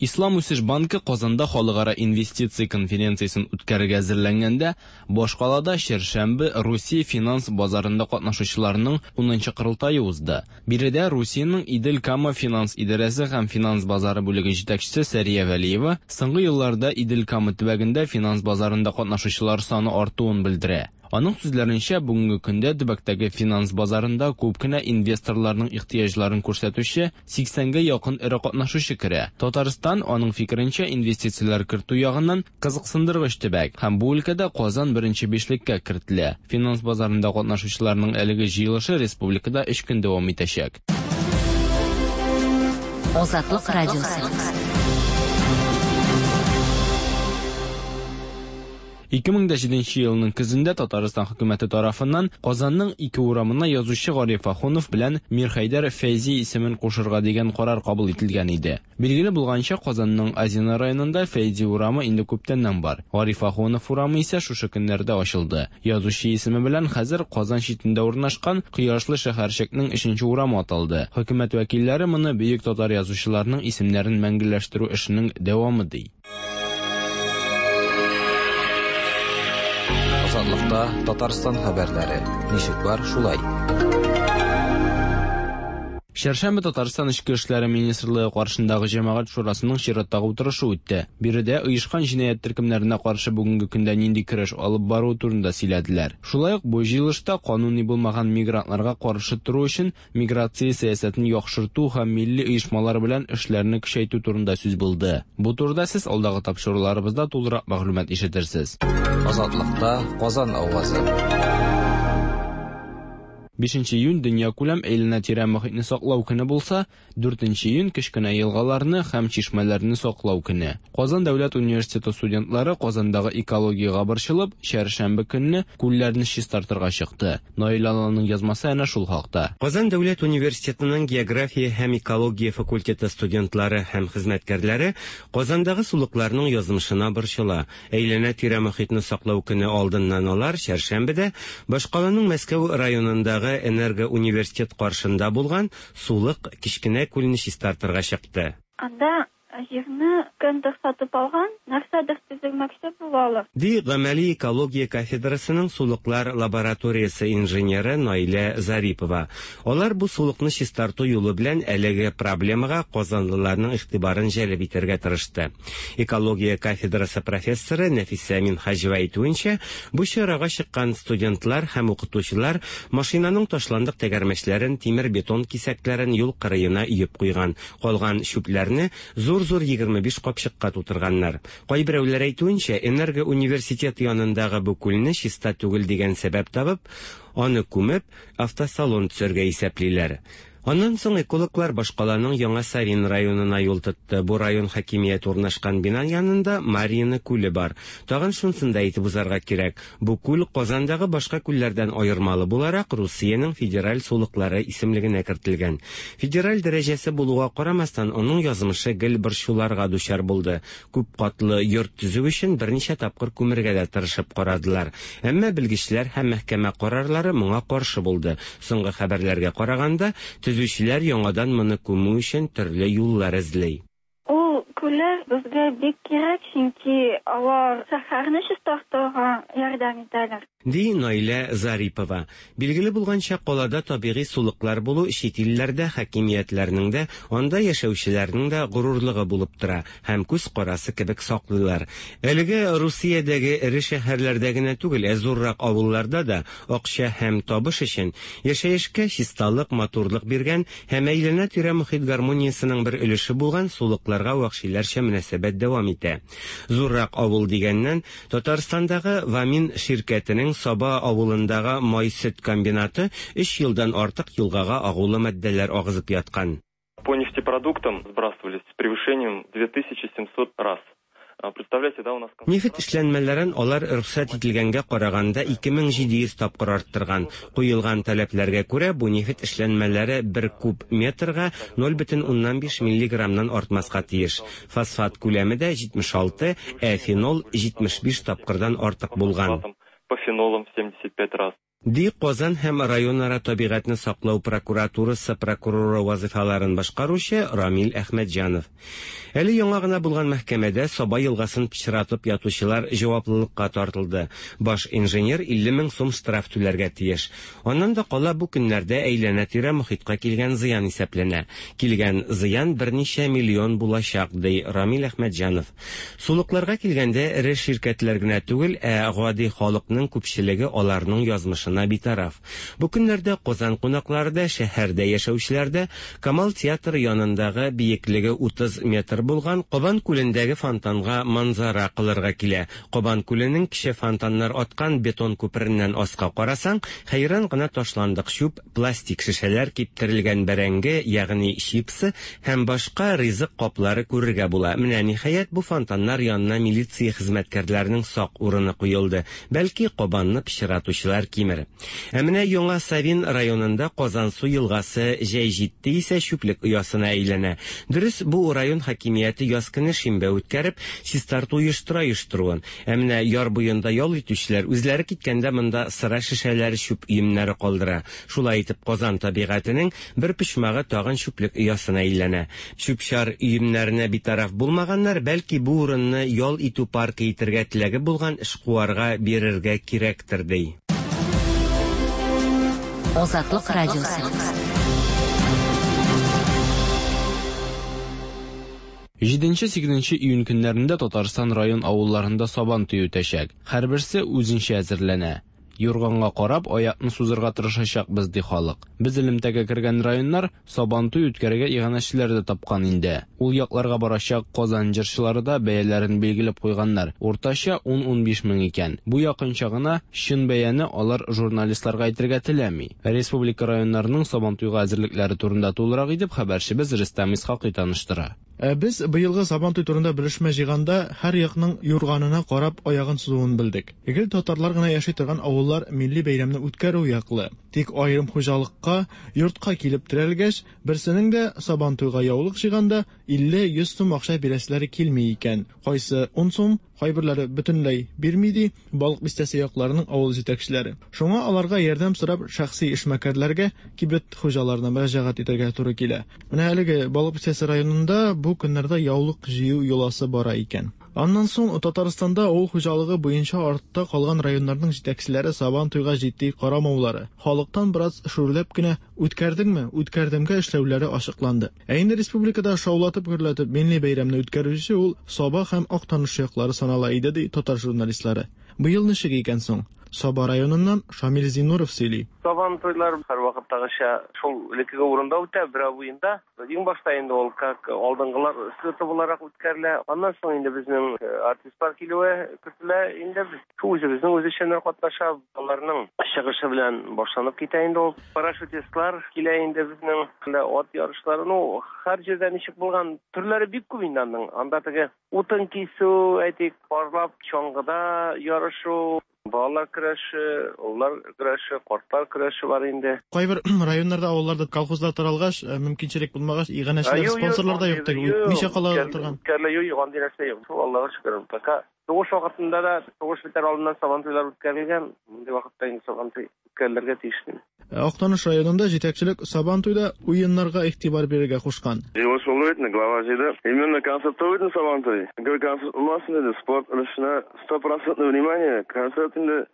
Ислам үсеш банкы Казанда халыкара инвестиция конференциясен үткәрергә әзерләнгәндә, башкалада чәршәмбе Русия финанс базарында катнашучыларның 10нчы корылтае узды. Биредә Русиянең Идел-Кама финанс идарәсе һәм финанс базары бүлеге җитәкчесе Сәрия Вәлиева соңгы елларда Идел-Кама төбәгендә финанс базарында катнашучылар саны артуын белдерә. Аның сүзләренчә, бүгенге көндә төбәктәге финанс базарында күп кенә инвесторларның ихтыяҗларын күрсәтүче 80гә якын эре катнашучы керә. Татарстан, аның фикеренчә, инвестицияләр кертү ягыннан кызыксындыргыч төбәк һәм бу өлкәдә Казан беренче бишлеккә кертелә. Финанс базарында катнашучыларның әлеге җыелышы республикада 3 көн дәвам итәчәк. Азатлык радиосы. 2007 елның көзендә Татарстан хөкүмәте тарафыннан Казанның ике урамына язучы Гариф Ахунов белән Мирхәйдәр Фәйзи исемен кушырга дигән карар кабул ителгән иде. Билгеле булганча, Казанның Азино районында Фәйзи урамы инде күптәннән бар. Гариф Ахунов урамы исә шушы көннәрдә ачылды. Язучы исеме белән хәзер Казан читендә урнашкан Кояшлы шәһәрчекнең 3нче урамы аталды. Хөкүмәт вәкилләре моны бөек татар язучыларының исемнәрен мәңгеләштерү эшенең дәвамы ди. Азатлыкта Татарстан хәбәрләре. Ничек бар, шулай. Чәршәмбе Татарстан Эчке эшләре министрлыгы каршындагы җәмәгать шурасының чираттагы утырышы үтте. Биредә оешкан җинаять төркемнәренә каршы бүгенге көндә нинди көрәш алып бару турында сөйләделәр. Шулай ук бу җыелышта кануни булмаган мигрантларга каршы тору өчен миграция сәясәтен яхшырту һәм милли оешмалар белән эшләрне көчәйтү турында сүз булды. Бу турыда сез алдагы тапшыруларыбызда тулырак мәгълүмат ишетерсез. Азатлыкта Казан авазы. 5 июнь дөньякүләм әйләнә-тирә мохитне саклау көне булса, 4 июнь кечкенә елгаларны һәм чишмәләрне саклау көне. Казан дәүләт университеты студентлары Казандагы экологиягә борчылып, чәршәмбе көнне күлләрне чистартырга чыкты. Наил Алланың язмасы әнә шул хакта. Казан дәүләт университетының география һәм экология факультеты студентлары һәм хезмәткәрләре Казандагы сулыкларның язмышына борчыла. Әйләнә-тирә мохитне саклау көне алдыннан алар чәршәмбедә башкаланың Мәскәү районындагы Энергоуниверситет каршында булган сулык кечкенә күлне чистартырга чыкты. Анда җирне кемдер сатып алган, нәрсәдер төземәкче булалар. Ди гамәли экология кафедрасының сулыклар лабораториясе инженеры Наилә Зарипова. Алар бу сулыкны чистарту юлы белән әлеге проблемага казанлыларның игътибарын җәлеп итәргә тырышты. Экология кафедрасы профессоры Нәфисә Минһаҗева әйтүенчә, бу чарага чыккан студентлар һәм укытучылар машинаның ташландык тәгәрмәчләрен, тимер-бетон кисәкләрен юл кырыена өеп куйган. Калган чүпләрне зур-зур 25 капчыкка тутырганнар. Кайберәүләр әйтүенчә, Энергоуниверситет янындагы бу күлне чиста түгел дигән сәбәп табып, аны күмеп, автосалон төзергә исәплиләр. Аннан соң экологлар башкаланың Яңа Савин районына юл тотты. Бу район хакимияте урнашкан бина янында Марьино күле бар. Тагын шунысын да әйтеп узарга кирәк. Бу күл Казандагы башка күлләрдән аермалы буларак Русиянең федераль сулыклары исемлегенә кертелгән. Федераль дәрәҗәсе булуга карамастан, аның язмышы гел борчуларга дучар булды. Күп катлы йорт төзү өчен берничә тапкыр күмергә дә тырышып карадылар. Әмма белгечләр һәм мәхкәмә карарлары моңа каршы булды. Соңгы хәбәрләргә караганда, төзүчеләр яңадан моны күмү өчен төрле юллар эзли. Ул күлләр безгә бик кирәк, чөнки алар шәһәрне чистартырга ярдәм итәләр. Ди Наилә Зарипова. Билгеле булганча, калада табигый сулыклар булу чит илләрдә хакимиятләрнең дә, анда яшәүчеләрнең дә горурлыгы булып тора һәм күз карасы кебек саклыйлар. Әлеге Русиядәге эре шәһәрләрдә генә түгел, ә зуррак авылларда да акча һәм табыш өчен яшәешкә чисталык, матурлык биргән һәм әйләнә-тирә мохит гармониясенең бер өлеше булган сулыкларга вәхшиләрчә мөнәсәбәт дәвам итә. Зуррак авыл дигәннән, Татарстандагы Вамин ширкәтенең Саба авылындагы май-сөт комбинаты 3 елдан артык елгага агулы матдәләр агызып яткан. По нефтепродуктам сбрасывались с превышением 2700 раз. Представляете, да, у нас... Нефть эшләнмәләрен алар рөхсәт ителгәнгә караганда 2700 тапкыр арттырган. Куелган таләпләргә күрә, бу нефть эшләнмәләре бер куб метрга 0,5 миллиграммнан артмаска тиеш. Фосфат күләме дә 76, ә фенол 75 тапкырдан артык булган. По фенолам 75 раз. Ди Казан һәм районара табигатьне саклау прокуратурасы прокуроры вазифаларын башкаручы Рамил Әхмәтҗанов. Әле яңа гына булган мәхкәмәдә Саба елгасын пычратып ятучылар җаваплылыкка тартылды. Баш инженер 50 мең сум штраф түләргә тиеш. Аннан да кала бу көннәрдә әйләнә-тирә мохиткә килгән зыян исәпләнә. Килгән зыян берничә миллион булачак, ди Рамил Әхмәтҗанов. Сулыкларга килгәндә эре ширкәтләр генә түгел, ә гади халыкның күпчелеге аларның язмышына битараф. Бу көннәрдә Казан кунаклары да, шәһәрдә яшәүчеләр дә Камал театры янындагы биеклеге 30 метр булган Кабан күлендәге фонтанга манзара кылырга килә. Кабан күленең кече фонтаннар аткан бетон күпереннән аска карасаң, хәйран гына ташландык чүп, пластик шешәләр, киптерелгән бәрәңге, ягъни чипсы һәм башка ризык каплары күрергә була. Менә ниһаять бу фонтаннар янына милиция хезмәткәрләренең сак урыны куелды. Бәлки Кабанны пычратучылар кимер. Ә менә Яңа Савин районында Казансу елгасы җәй җитте исә чүплек оясына әйләнә. Дөрес, бу район хакимияте яз көне шимбә үткәреп, чистарту оештыра оештыруын. Ә менә яр буенда ял итүчеләр үзләре киткәндә монда сыра шешәләре, чүп өемнәре калдыра. Шулай итеп Казан табигатенең бер почмагы тагын чүплек оясына әйләнә. Чүп-чар өемнәренә битараф булмаганнар, бәлки бу урынны ял итү паркы итергә теләге булган эшкуарга бирергә кирәктер, ди. Азатлык радиосы. 7-8 июнь көннәрендә Татарстан район авылларында Сабан туе үтәчәк. Һәрберсе үзенчә әзерләнә. Юрганга карап, аякны сузырга тырышачакбыз, ди халык. Без элемтәгә кергән районнар Сабантуй үткәрергә иганәчеләр дә тапкан инде. Ул якларга барачак Казан җырчылары да бәяләрен билгеләп куйганнар, уртача ун-унбиш мең икән. Бу якынча гына, чын бәяне алар журналистларга әйтергә теләми. Республика районнарының Сабантуйга әзерлекләре турында тулырак итеп хәбәрчебез Рөстәм Исхакый таныштыра. Ә без быелгы Сабантуй турында белешмә җыйганда, һәр якның юрганына карап аягын сузуын белдек. Гел татарлар гына яши торган авыллар милли бәйрәмне үткәрү яклы. Тик аерым хуҗалыкка, йортка килеп терәлгәч, берсенең дә Сабантуйга яулык җыйганда 50-100 сум акча бирәселәре килми икән. Кайсы ун сум, кайберләре бөтенләй бирми, ди Балык Бистәсе якларының авыл җитәкчеләре. Шуңа аларга ярдәм сорап шәхси эшмәкәрләргә, кибет хуҗаларына мөрәҗәгать итәргә туры килә. Менә әлеге Балык Бистәсе районында бу көннәрдә яулык җыю йоласы бара икән. Аннан соң Татарстанда авыл хуҗалыгы буенча артта калган районнарның җитәкчеләре Сабан туйга җитди карамаулары, халыктан бераз шүрләп кенә үткәрдеңме, үткәрдемгә эшләүләре ачыкланды. Ә инде республикада шаулатып-гөрләтеп милли бәйрәмне үткәрүче ул Саба һәм Актаныш яклары санала иде, ди татар журналистлары. Быел ничек икән соң? Саба районыннан Шамил Зиннуров сөйли. Сабан туйлар һәрвакыттагыча шул элеккеге урында үтә, Берәү буенда. Иң башта инде ул как алдынгылар слеты буларак үткәрелә. Аннан соң инде безнең артистлар килүе көтелә. Инде без шул үзебезнең үзешчәннәр катнаша, аларның чыгышы белән башланып китә инде ул. Парашютистлар килә инде безнең, ат ярышлары. Ну, һәр җирдә ничек булган, төрләре бик күп инде аның. Анда теге утын кисү, әйтик, парлап чаңгыда ярышу, балалар көрәше, олылар көрәше, картлар көрәше бар инде. Кайбер районнарда, авылларда колхозлар таралгач, мөмкинчелек булмагач, иганәчеләр, спонсорлар да юк теге, үтмичә кала торган. Үткәрелә, юк, юк, андый нәрсә юк. Шул Аллага шөкер, пока сугыш вакытында да, сугыш бетәр алдыннан Сабантуйлар үткәрелгән, мондый вакытта инде Сабантуй үткәрелергә тиеш. Актаныш районында җитәкчелек Сабантуйда уеннарга игътибар бирергә кушкан. Җыелыш булды бит инде, глава җыйды. Именно концерт түгел бит Сабантуй. Гел концерт булмасын диде, спорт өлешенә стопроцентное внимание. Концерт инде,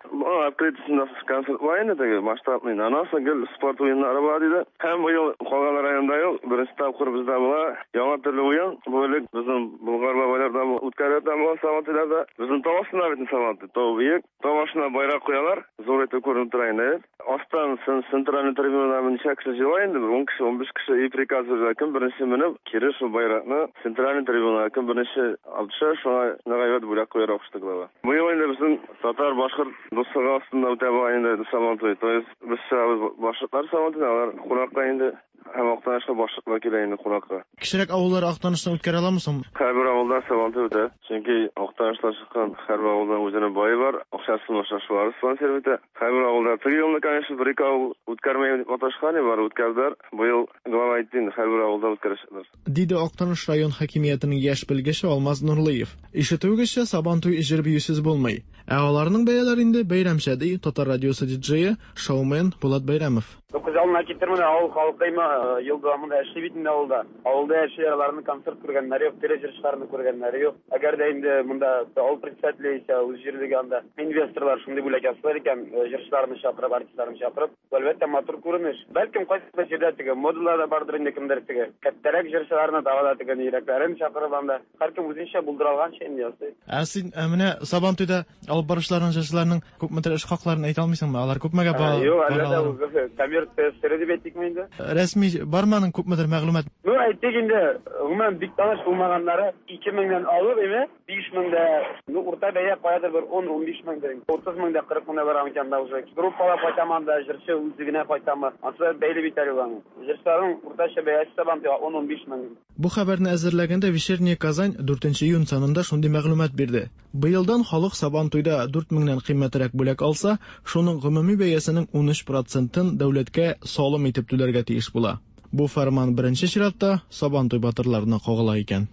открытиесендә концерт була инде теге, масштабный. Аннан соң гел спорт уеннары була диде. Һәм быел калган районда юк, беренче тапкыр бездә була. Яңа төрле уен. Бу элек безнең Болгар бабайларда үткәрелә торган Сабантуйларда. Безнең тау астында бит Сабантуй, тау биек. Тау башына байрак куялар, зур итеп күренеп тора инде. Астан центральный трибунадан ничә кеше җыела инде, бер 10 кеше, 15 кеше и приказ бирә, кем беренче менеп, кире шул байракны центральный трибунага кем беренче алып төшә, шуңа нык әйбәт бүләк куярга кушты глава. Быел инде безнең татар, башкорт дуслыгы астында үтә бугай инде Сабантуй. То есть без чыгабыз башкортлар Сабантуйна, алар кунакка инде. Һәм Актанышка башкортлар килә инде кунакка. Кечерәк авыллар Актанышта үткәрә аламы соң? Һәрбер авылда Сабантуй үтә. Чөнки Актанышта чыккан һәрбер авылдан үзенең бае бар, акчасын башка шулар спонсор итә. Һәрбер авылда теге елны, конечно, бер-ике авыл үткәрмәйм дип маташкан иде, бары үткәрделәр. Быел глава әйтте инде, һәрбер авылда үткәрәчәкләр. Диде Актаныш район хакимиятенең яшь белгече Алмаз Нурлыев. Ишетүегезчә, Сабантуй җыр-биюсез булмый. Ә аларның бәяләре инде бәйрәмчә, ди Татар радиосы диджее, шоумен Булат Бәйрәмов. Ну, күз алдына китер менә, авыл халкы има ел дәвамында эшли бит инде авылда. Авылда яшиләр, аларның концерт күргәннәре юк, тере җырчыларны күргәннәре юк. Әгәр дә инде монда авыл председателе яисә үз җирлеге анда инвесторлар шундый бүләк ясыйлар икән, җырчыларны чакырып, артистларны чакырып, бу әлбәттә матур күренеш. Бәлкем кайсыдыр җирдә теге модалар да бардыр инде, кемдер теге кәттәрәк җырчыларны, тагы да теге йөрәкләрен чакырып анда. Һәркем үзенчә булдыра алганча инде ясый. Ә син менә Сабантуйда алып баручыларның, җырчыларның күпмедер эш хакларын әйтә алмыйсыңмы? Алар күпмегә ба Юк, әлбәттә, ул коммерция сере дип әйтикме инде? Рәсми бармы аның күпмедер мәгълүмат? Ну, әйтик инде, гомумән бик таныш булмаганнары 2000-нән алып, име, 5000 дә, ну, урта бәя каядыр бер 10-15 меңдер. 30 мең дә, 40 мең дә бар икән да уже. Группалап кайтамы анда, җырчы үзе генә кайтамы? Ансы бәйле бит әле аның. Җырчыларның уртача бәясе Сабантуйга 10-15 мең. Бу хәбәрне әзерләгәндә Вечерняя Казань 4 июнь санында шундый мәгълүмат бирде. Быелдан халык Сабантуйда 4 меңнән кыйммәтрәк бүләк алса, шуның гомуми бәясенең 13 процентын дәүләткә салым итеп түләргә тиеш була. Бу фәрман беренче чиратта Сабантуй батырларына кагыла икән.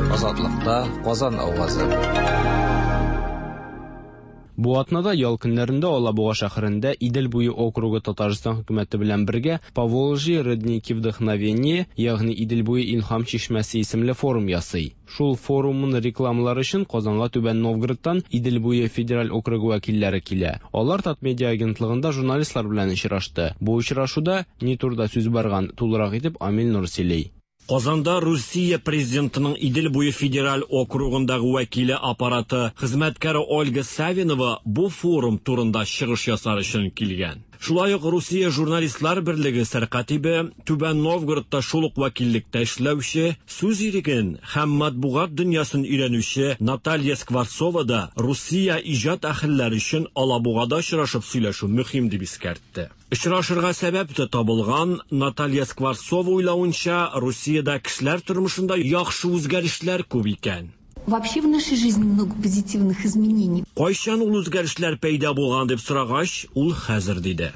Азатлыкта Казан авазы. Бу атнада ял көннәрендә Алабуга шәһәрендә Идел буе округы Татарстан хөкүмәте белән бергә Поволжье родники вдохновения, ягъни Идел буе илһам чишмәсе исемле форум ясый. Шул форумын рекламалар өчен Казанга Түбән Новгородтан Идел буе федераль округы вәкилләре килә. Алар Татмедиа агентлыгында журналистлар белән очрашты. Бу очрашуда ни турыда сүз барган, тулырак итеп Амил Нур сөйли. Казанда Русия президентының Идел буе федераль округындагы вәкиле аппараты хезмәткәре Ольга Савинова бу форум турында чыгыш ясар өчен килгән. Шулай ук Русия журналистлар берлеге сәркатибе, Түбән Новгородта шул ук вәкиллектә эшләүче, сүз иреген һәм матбугат дөньясын өйрәнүче Наталья Скворцова да Русия иҗат әһелләре өчен Алабугада очрашып сөйләшү мөһим дип искәртте. Очрашырга сәбәп тә табылган, Наталья Скворцова уйлавынча, Русиядә кешеләр тормышында яхшы үзгәрешләр күп икән. Вообще в нашей жизни много позитивных изменений. Кайчан ул үзгәрешләр пәйда булган дип сорагач, ул хәзер диде.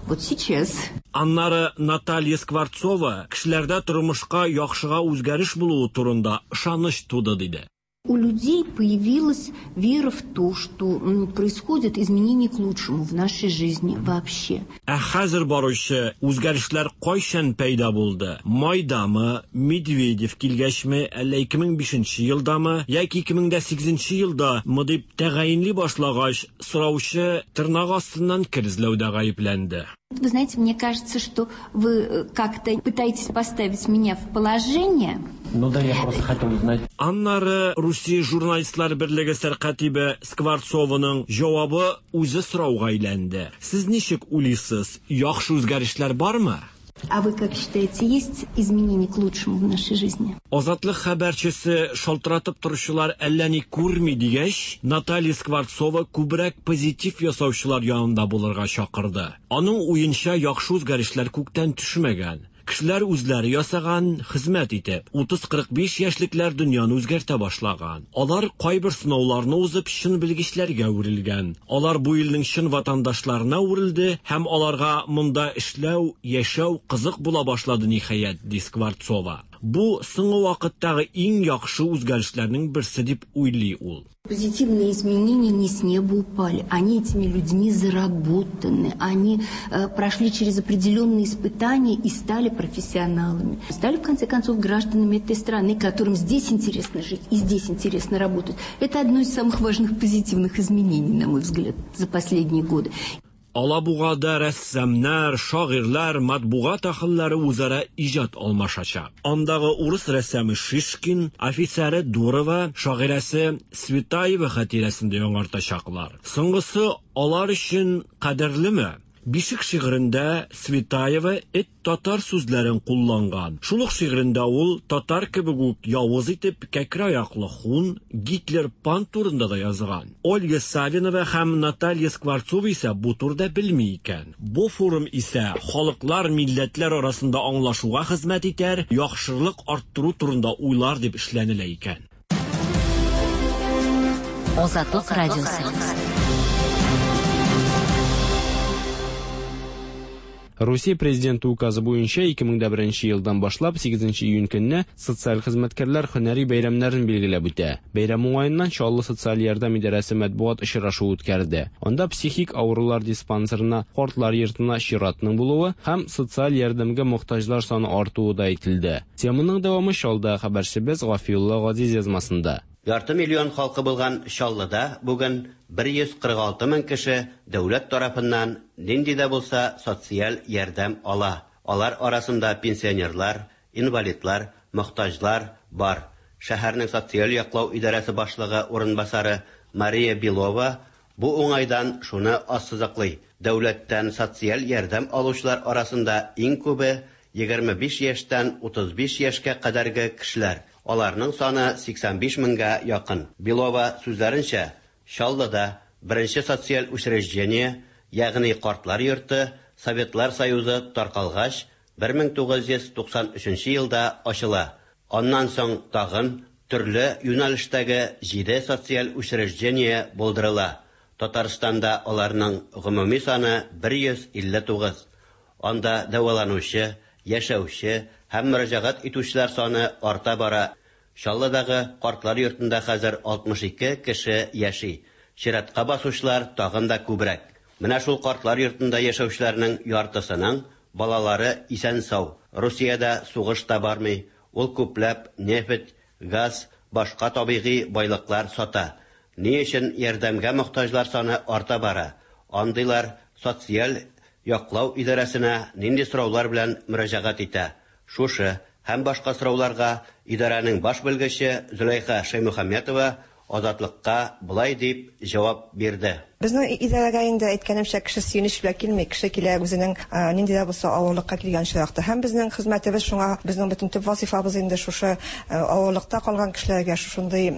Вот сейчас. Аннары Наталья Скворцова кешеләрдә тормышка яхшыга үзгәреш булуы турында ышаныч туды диде. У людей появилась вера в то, что происходят изменения к лучшему в нашей жизни вообще. Ә хәзер баручы үзгәрешләр кайчан пәйда булды? Майдамы, Медведев килгәчме, әллә 2005 елдамы, яки 2008 елдамы дип тәгаенли башлагач, сораучы тырнак астыннан кер эзләүдә гаепләнде. Вы знаете, мне кажется, что вы как-то пытаетесь поставить меня в положение. Ну да, я просто хотел узнать. Аннары Русия журналистлар берлеге сәркатибе Скворцованың җавабы үзе сорауга әйләнде. Сез ничек уйлыйсыз, яхшы үзгәрешләр бармы? А вы как считаете, есть изменения к лучшему в нашей жизни? Азатлык хәбәрчесе шалтыратып торучылар әллә ни күрми дигәч, Наталья Скворцова күбрәк позитив ясаучылар янында булырга чакырды. Аның уенча яхшы үзгәрешләр күктән төшмәгән. Кешеләр үзләре ясаган, хезмәт итеп, 30-45 яшьлекләр дөньяны үзгәртә башлаган. Алар кайбер сынауларны узып, чын белгечләргә әверелгән. Алар бу илнең чын ватандашларына әверелде һәм аларга монда эшләү, яшәү кызык була башлады ниһаять, ди Скворцова. Бу соңгы вакыттагы иң яхшы үзгәрешләрнең берсе дип уйлый ул. Позитивные изменения не с неба упали, они этими людьми заработаны, они прошли через определенные испытания и стали профессионалами. Стали, в конце концов, гражданами этой страны, которым здесь интересно жить и здесь интересно работать. Это одно из самых важных позитивных изменений, на мой взгляд, за последние годы. Алабугада рәссамнар, шагыйрьләр, матбугат әһелләре үзара иҗат алмашачак. Андагы урыс рәссамы Шишкин, офицеры Дурова, шагыйрәсе Цветаева хатирәсен дә яңартачаклар. Соңгысы алар өчен кадерлеме? Бишек шигырендә Цветаева эт татар сүзләрен кулланган. Шул ук шигырендә ул татар кебек үк явыз итеп кәкре аяклы хун, Гитлер пан турында да язган. Ольга Савинова һәм Наталья Скворцова исә бу турыда белми икән. Бу форум исә халыклар, милләтләр арасында аңлашуга хезмәт итәр, яхшылык арттыру турында уйлар дип эшләнелә икән. Азатлык радиосы. Русия президенты указы буенча 2001 елдан башлап 8 июнь көнне социаль хезмәткәрләр һөнәри бәйрәмнәрен билгеләп үтә. Бәйрәм уңаеннан Чаллы социаль ярдәм идарәсе матбугат очрашуы үткәрде. Анда психик авырулар диспансерына, картлар йортына чиратның булуы һәм социаль ярдәмгә мохтаҗлар саны артуы да әйтелде. Теманың дәвамы Чаллыда хәбәрчебез Гафиулла Газиз язмасында. Ярты миллион халкы булган Чаллыда бүген 146 мең кеше дәүләт тарафыннан нинди дә булса социаль ярдәм ала. Алар арасында пенсионерлар, инвалидлар, мохтаҗлар бар. Шәһәрнең социаль яклау идарәсе башлыгы урынбасары Мария Белова бу уңайдан шуны ассызыклый. Дәүләттән социаль ярдәм алучылар арасында иң күбе 25 яшьтән 35 яшькә кадәрге кешеләр. Аларның саны 85 меңгә якын. Белова сүзләренчә, Чаллыда беренче социаль учреждение, ягъни картлар йорты, Советлар Союзы таркалгач, 1993 елда ачыла. Аннан соң тагын төрле юнәлештәге 7 социаль учреждение булдырыла. Татарстанда аларның гомуми саны 159. Анда дәваланучы, яшәүче һәм мөрәҗәгать итүчеләр саны арта бара. Чаллыдагы картлар йортында хәзер 62 кеше яши. Чиратка басучылар тагын да күбрәк. Менә шул картлар йортында яшәүчеләрнең яртысының балалары исән-сау. Русиядә сугыш та бармый. Ул күпләп нефть, газ, башка табигый байлыклар сата. Ни өчен ярдәмгә мохтаҗлар саны арта бара? Андыйлар социаль яклау идарәсенә нинди сораулар белән мөрәҗәгать итә? Шушы Һәм башка сорауларга идарәнең баш белгече Зөләйха Шәймөхәммәтова Азатлыкка болай дип җавап бирде. Безнең идарәгә инде, әйткәнемчә, кеше сөенеч белән килми, кеше килә үзенең нинди дә булса авырлыкка килгән очракта. Һәм безнең хезмәтебез шуңа, безнең бөтен төп вазыйфабыз инде шушы авырлыкта калган кешеләргә шушындый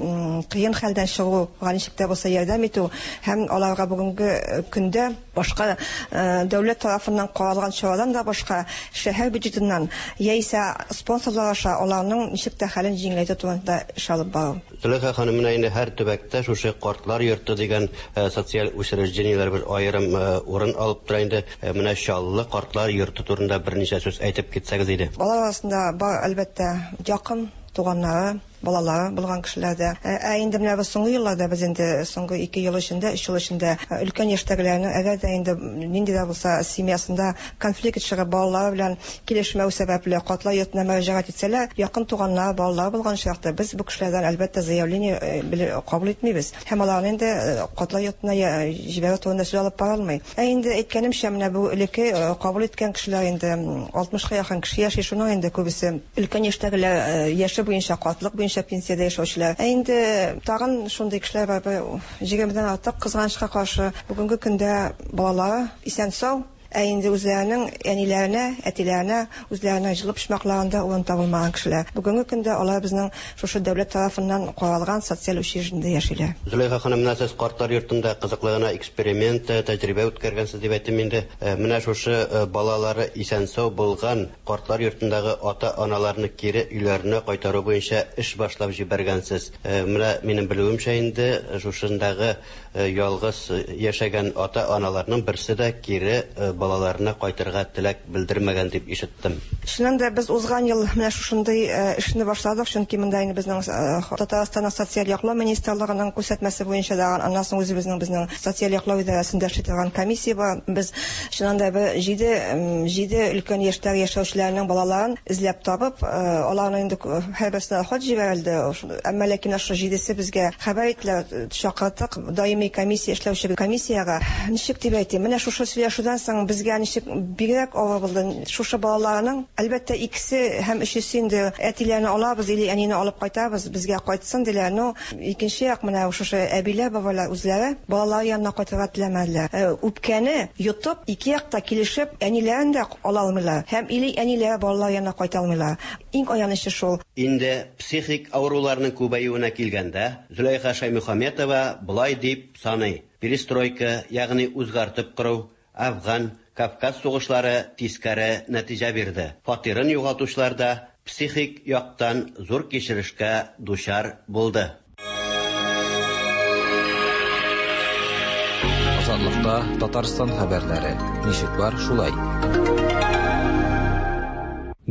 кыен хәлдән чыгуга ничек тә булса ярдәм итү һәм аларга бүгенге көндә башка дәүләт тарафыннан каралган чарадан да башка шәһәр бюджетыннан яисә спонсорлар аша аларның ничек тә хәлен җиңеләйтү турында эш алып бару. Зөләйха ханым, менә инде һәр төбәктә шушы картлар йорты дигән социаль учреждениеләр бер аерым урын алып тора инде. Менә Чаллы картлар йорты турында берничә сүз әйтеп китсәгез иде. Алар арасында бар, әлбәттә, якын туганнары, балалары булган кешеләр дә. Ә инде менә без соңгы елларда, без инде соңгы ике ел эчендә, өч ел эчендә өлкән яшьтәгеләрнең, әгәр дә инде нинди дә булса семьясында конфликт чыгып, балалары белән килешмәү сәбәпле, картлар йортына мөрәҗәгать итсәләр, якын туганнары, балалары булган очракта, без бу кешеләрдән, әлбәттә, заявление кабул итмибез һәм аларны инде картлар йортына җибәрү турында сүз алып барылмый. Ә инде, әйткәнемчә, менә бу элекке кабул иткән кешеләр инде 60 ка якын кеше яши, шуның инде күбесе өлкән яшьтәгеләр, яше буенча, картлык буенча пенсиядә яшәүчеләр. Ә инде тагын шундый кешеләр бар, бер егермедән артык, кызганычка каршы, бүгенге көндә балалары исән-сау, ә инде үзләренең әниләренә, әтиләренә, үзләренең җылы почмакларында урын табылмаган кешеләр. Бүгенге көндә алар безнең шушы дәүләт тарафыннан каралган социаль учреждениедә яшиләр. Зөләйха ханым, менә сез картлар йортында кызыклы гына эксперимент, тәҗрибә үткәргәнсез дип әйттем инде. Менә шушы балалары исән-сау булган картлар йортындагы ата-аналарны кире өйләренә кайтару буенча эш башлап җибәргәнсез. Менә минем белүемчә инде, шушындагы Ялгыз яшәгән ата-аналарның берсе дә кире балаларына кайтырга теләк белдермәгән дип ишеттем. Чыннан да, без узган ел менә шушындый эшне башладык, чөнки монда инде безнең Татарстанның социаль яклау министрлыгының күрсәтмәсе буенча да, аннан соң үзебезнең безнең социаль яклау идарәсендә эшли торган комиссия бар. Без чыннан да бер җиде җиде өлкән яшьтәге яшәүчеләрнең балаларын эзләп табып, аларның инде һәрберсенә хат җибәрелде. Әмма ләкин шушы җидесе безгә хәбәр иттеләр, чакырттык даими комиссия эшләүче комиссиягә. Ничек дип әйтим, менә шушы сөйләшүдән соң безгә ничек бигрәк авыр булды. Шушы балаларның, әлбәттә, икесе һәм өчесе инде әтиләрне алабыз или әнине алып кайтабыз, безгә кайтсын диләр. Ну, икенче як менә шушы әбиләр, бабайлар үзләре балалары янына кайтырга теләмәделәр. Үпкәне йотып, ике як та килешеп, әниләрен дә ала алмыйлар һәм или әниләре балалар янына кайта алмыйлар. Иң аянычы шул. Инде психик авыруларның күбәюенә килгәндә, Зөләйха Шәймөхәммәтова болай дип саный, Перестройка, ягъни үзгәртеп кору, Әфган, Кавказ сугышлары тискәре нәтиҗә бирде. Фатирын югалтучылар да психик яктан зур кичерешкә дучар булды. Азатлыкта Татарстан хәбәрләре. Ничек бар, шулай.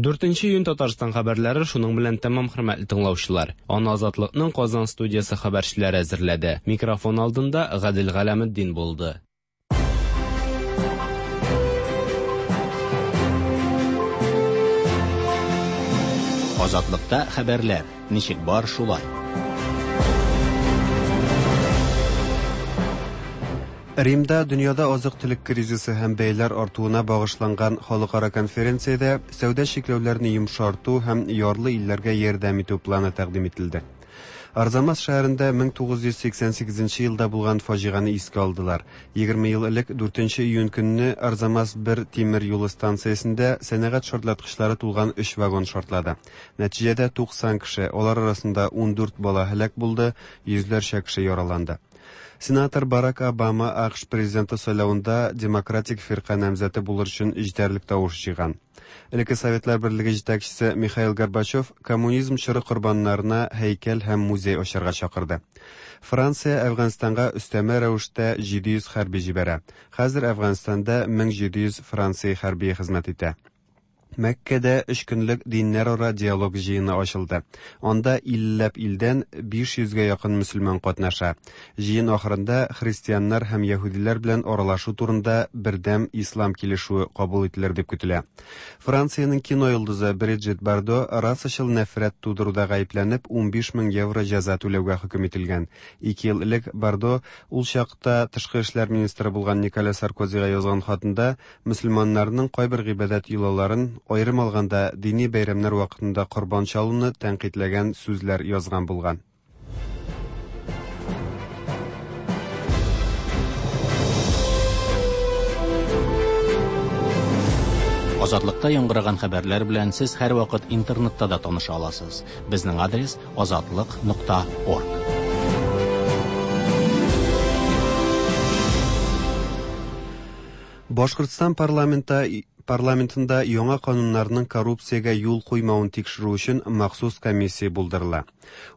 4 июнь Татарстан хәбәрләре шуның белән тәмам, хөрмәтле тыңлаучылар. Аны Азатлыкның Казан студиясе хәбәрчеләре әзерләде. Микрофон алдында Гадел Галәметдин булды. Азатлыкта хәбәрләр. Ничек бар, шулай. Римда дөньяда азык-төлек кризисы һәм бәяләр артуына багышланган халыкара конференциядә сәүдә чикләүләрне йомшарту һәм ярлы илләргә ярдәм итү планы тәкъдим ителде. Арзамас шәһәрендә 1988 елда булган фаҗигане искә алдылар. 20 ел элек 4 июнь көнне Арзамас 1 тимер юлы станциясендә сәнәгать шартлаткычлары тулган өч вагон шартлады. Нәтиҗәдә 90 кеше, алар арасында 14 бала һәлак булды, йөзләрчә кеше яраланды. Сенатор Барак Обама АКШ президенты сайлавында Демократик фирка намзәте булыр өчен җитәрлек тавыш җыйган. Элекке Советлар Берлеге җитәкчесе Михаил Горбачев коммунизм чоры корбаннарына һәйкәл һәм музей ачарга чакырды. Франция Әфганстанга өстәмә рәвештә 700 хәрби җибәрә. Хәзер Әфганстанда 1700 Франция хәрбие хезмәт итә. Мәккәдә өч көнлек диннәрара диалог җыены ачылды. Анда иллеләп илдән 500 гә якын мөселман катнаша. Җыен ахырында христианнар һәм яһүдиләр белән аралашу турында бердәм ислам килешүе кабул ителер дип көтелә. Франциянең кино йолдызы Бриджит Бардо расачыл нәфрәт тудыруда гаепләнеп 15 мең евро җәза түләүгә хөкем ителгән. Ике ел элек Бардо ул чакта тышкы эшләр министры булган Николя Саркозига язган хатында мөселманнарның кайбер гыйбадәт йолаларын аерым алганда, дини бәйрәмнәр вакытында корбан чалуны тәнкыйтьләгән сүзләр язган булган. Азатлыкта яңгыраган хәбәрләр белән сез һәрвакыт интернетта да таныша аласыз. Безнең адрес азатлык.орг. Башкортстан парламенты парламентында яңа кануннарның коррупциягә юл куймавын тикшерү өчен махсус комиссия булдырыла.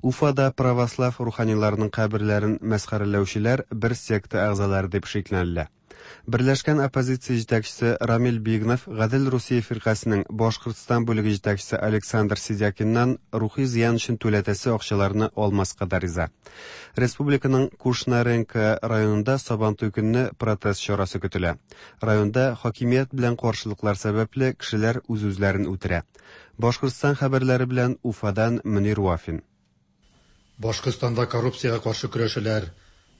Уфада православ руханиларының каберләрен мәсхәрәләүчеләр бер секта әгъзалары дип шикләнелә. Берләшкән оппозиция җитәкчесе Рамил Бигнов Гадел Русия фиркасенең Башкортстан бүлеге җитәкчесе Александр Сидякиннан рухи зыян өчен түләтәсе акчаларны алмаска да риза. Республиканың Кушнаренко районында Сабантуй көнне протест чарасы көтелә. Районда хакимият белән каршылыклар сәбәпле кешеләр үз-үзләрен үтерә. Башкортстан хәбәрләре белән Уфадан Мөнир Вафин. Башкортстанда коррупциягә каршы көрәшәләр.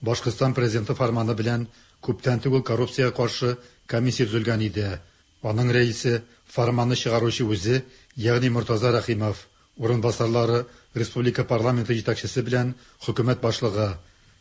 Башкортстан президенты фәрманы белән күптән түгел коррупциягә каршы комиссия төзелгән иде. Аның рәисе фәрманны чыгаручы үзе, ягъни Мортаза Рәхимов, урынбасарлары республика парламенты җитәкчесе белән хөкүмәт башлыгы.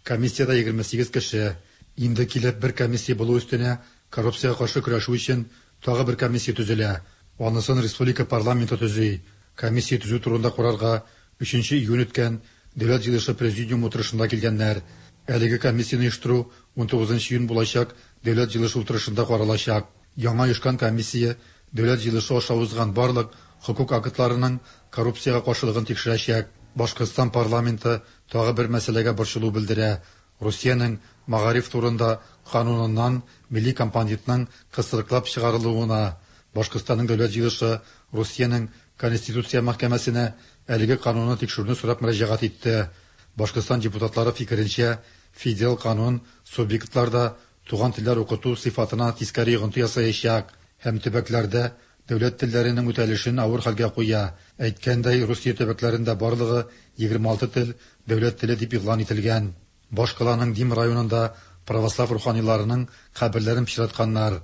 Комиссиядә 28 кеше. Инде килеп бер комиссия булу өстенә коррупциягә каршы көрәшү өчен тагы бер комиссия төзелә. Анысын республика парламенты төзи. Комиссия төзү турында карарга 3 июнь үткән Дәүләт җыелышы президиум утырышында килгәннәр. Әлеге комиссияне оештыру 19 июнь булачак Дәүләт җыелышы утырышында каралачак. Яңа оешкан комиссия Дәүләт җыелышы аша узган барлык хокук актларының коррупциягә каршылыгын тикшерәчәк. Башкортстан парламенты тагы бер мәсьәләгә борчылу белдерә. Русиянең мәгариф турында кануныннан милли компонентның кысрыклап чыгарылуына. Башкортстанның Дәүләт җыелышы Русиянең Конституция мәхкәмәсенә әлеге канунны тикшерүне сорап мөрәҗәгать итте. Башкортстан депутатлары фикеренчә, федераль канун субъектларда туган телләр укыту сыйфатына тискәре йогынты ясаячак һәм төбәкләрдә дәүләт телләренең үтәлешен авыр хәлгә куя. Әйткәндәй, Русия төбәкләрендә барлыгы 26 тел дәүләт теле дип игълан ителгән. Башкаланың Дим районында православ руханиларының каберләрен пычратканнар.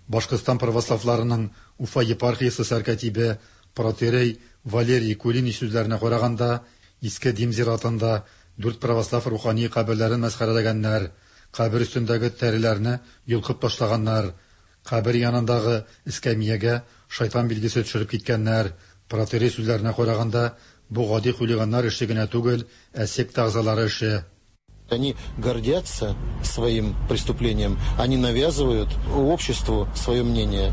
Башкортстан православларының Уфа епархиясе сәркатибе протоиерей Валерий Кулинич сүзләренә караганда, Иске Дим зиратында дүрт православ рухани каберләрен мәсхәрәләгәннәр, кабер өстендәге тәреләрне йолкып ташлаганнар, кабер янындагы эскәмиягә шайтан билгесе төшереп киткәннәр. Протоиерей сүзләренә караганда, бу гади хулиганнар эше генә түгел, ә секта әгъзалары эше. Они гордятся своим преступлением, они навязывают обществу свое мнение.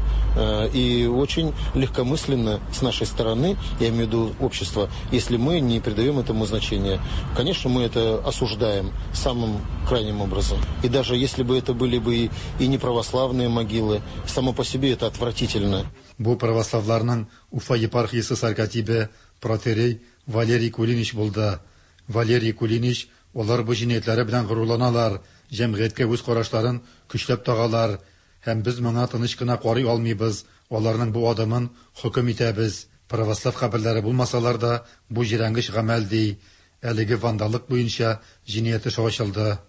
И очень легкомысленно с нашей стороны, я имею в виду общество, если мы не придаем этому значения. Конечно, мы это осуждаем самым крайним образом. И даже если бы это были бы и не православные могилы, само по себе это отвратительно. Бу православларның Уфа епархиясе сәркатибе протоиерей Валерий Кулинич булды. Валерий Кулинич алар бу җинаятьләре белән горурланалар, җәмгыятькә үз карашларын көчләп тагалар һәм без моңа тыныч кына карый алмыйбыз. Аларның бу адымын хөкем итәбез. Православ каберләре булмасалар да, бу җирәнгеч гамәл ди. Әлеге вандаллык буенча җинаять эше ачылды.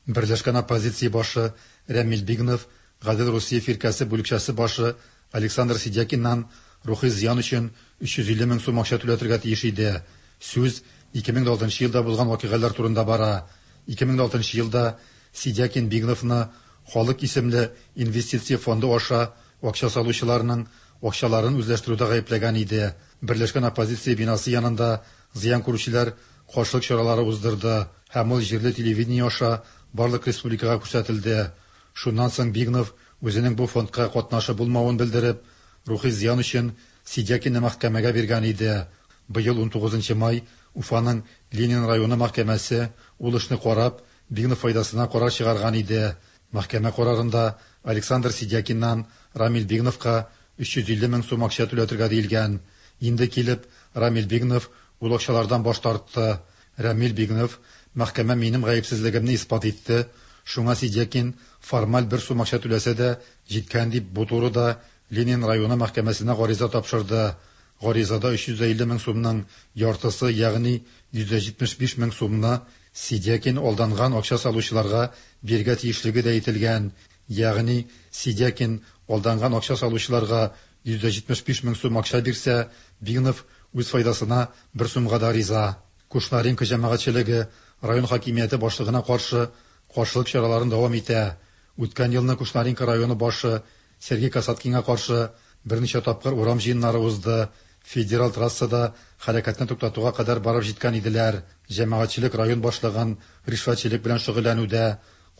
Берләшкән оппозиция башы Рәмил Бигнов, Гадел Русия фиркәсе бүлекчәсе башы Александр Сидякиннан рухи зыян өчен 350 мең сум акча түләтергә тиеш иде. Сүз 2006 елда булган вакыйгалар турында бара. 2006 елда Сидякин Бигновны Халык исемле инвестиция фонды аша акча салучыларның акчаларын үзләштерүдә гаепләгән иде. Берләшкән оппозиция бинасы янында зыян күрүчеләр каршылык чаралары уздырды һәм ул җирле телевидение аша барлык республикага күрсәтелде. Шуннан соң Бигнов үзенең бу фондка катнашы булмавын белдереп, рухи зыян өчен Сидякинны мәхкәмәгә биргән иде. Быел 19 май Уфаның Ленин районы мәхкәмәсе ул эшне карап, Бигнов файдасына карар чыгарган иде. Мәхкәмә карарында Александр Сидякиннан Рамил Бигновка 350 мең сум акча түләтергә диелгән. Инде килеп, Рамил Бигнов ул акчалардан баш тартты. Рамил Бигнов мәхкәмә минем гаепсезлегемне исбат итте. Шуңа Сидякин формаль бер сум акча түләсә дә җиткән дип бу турыда Ленин районы мәхкәмәсенә гариза тапшырды. Гаризада 350 мең сумның яртысы, ягъни 175 мең сумны Сидякин алданган акча салучыларга бирергә тиешлеге дә әйтелгән. Ягъни Сидякин алданган акча салучыларга 175 мең сум акча бирсә, Бигнов үз файдасына бер сумга да риза. Кушнаренко җәмәгатьчелеге район хакимияте башлыгына каршы каршылык чараларын дәвам итә. Үткән елны Кушнаренко районы башы Сергей Касаткинга каршы берничә тапкыр урам җыеннары узды, федераль трассада хәрәкәтне туктатуга кадәр барып җиткән иделәр. Җәмәгатьчелек район башлыгын ришвәтчелек белән шөгыльләнүдә,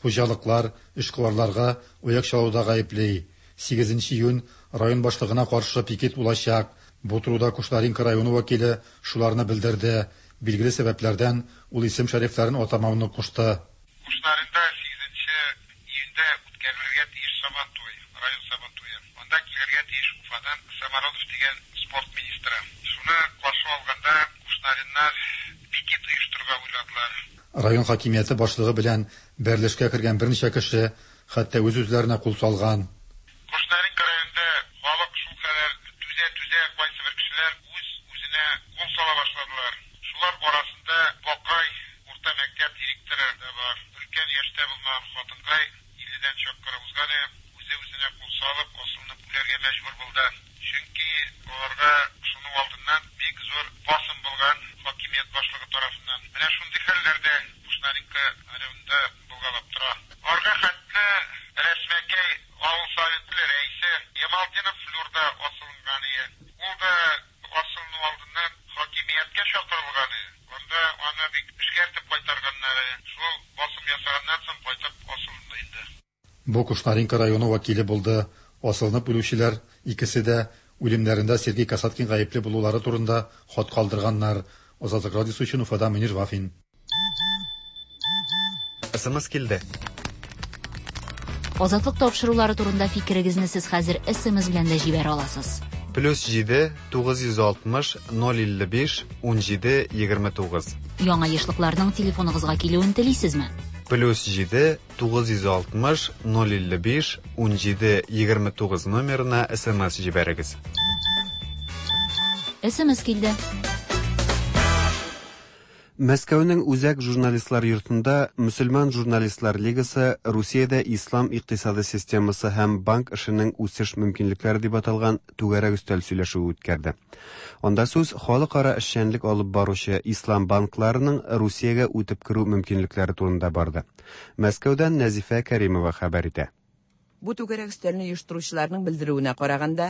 хуҗалыклар, эшкуарларга аяк чалуда гаепли. 8 июнь район башлыгына каршы пикет булачак. Бу турыда Кушнаренко районы вәкиле шуларны белдерде. Билгеле сәбәпләрдән ул исем-шәрифләрен атамауны кушты. Кушнаренда 8 июньдә үткәрелергә тиеш Сабантуй, район Сабантуе. Анда килергә тиеш Уфадан Самородов дигән спорт министры. Шуны каршы алганда кушнареннар пикет оештырырга уйладылар. Район хакимияте башлыгы белән бәрелешкә кергән берничә кеше хәтта үз-үзләренә кул салган. Кушнаренко районында халык шулкадәр түзә-түзә, кайсыбер кешеләр үз-үзенә кул сала башладылар. Шулар арасында Бакай урта мәктәп директоры да бар. Өлкән яшьтә булмаган хатынкай, илледән чак кына узган, үзе-үзенә кул салып, асылынып үләргә мәҗбүр булды. Чөнки аларга шуның алдыннан бик зур басым булган хакимият башлыгы тарафыннан. Менә шундый хәлләр дә Кушнаренко районында булгалап тора. Арга хәтле Рәсмәкәй авыл советы рәисе Ямалтдинов Флюр да асылынган ие. Ул да асылыну алдыннан хакимияткә чакырылган ие. Анда аны бик эшкәртеп кайтарганнар. Шул басым ясаганнан соң кайтып асылынды инде. Бу Кушнаренко районы вәкиле булды. Асылынып үлүчеләр икесе дә үлемнәрендә Сергей Касаткин гаепле булулары турында хат калдырганнар. Азатлык радиосы өчен Уфадан Мөнир Вафин. СМС килде. Азатлык тапшырулары турында фикерегезне сез хәзер СМС белән дә җибәрә аласыз. Плюс 7 960 055 17 29. Яңа ешлыкларның телефоныгызга килүен телисезме? Плюс 7 960 055 17 29 номерына СМС җибәрегез. СМС килде. Мәскәүнең Үзәк журналистлар йортында Мөселман журналистлар лигасы Русиядә ислам икътисады системасы һәм банк эшенең үсеш мөмкинлекләре дип аталган түгәрәк өстәл сөйләшүе үткәрде. Анда сүз халыкара эшчәнлек алып баручы ислам банкларының Русиягә үтеп керү мөмкинлекләре турында барды. Мәскәүдән Нәзифә Кәримова хәбәр итә. Бу түгәрәк өстәлне оештыручыларның белдерүенә караганда,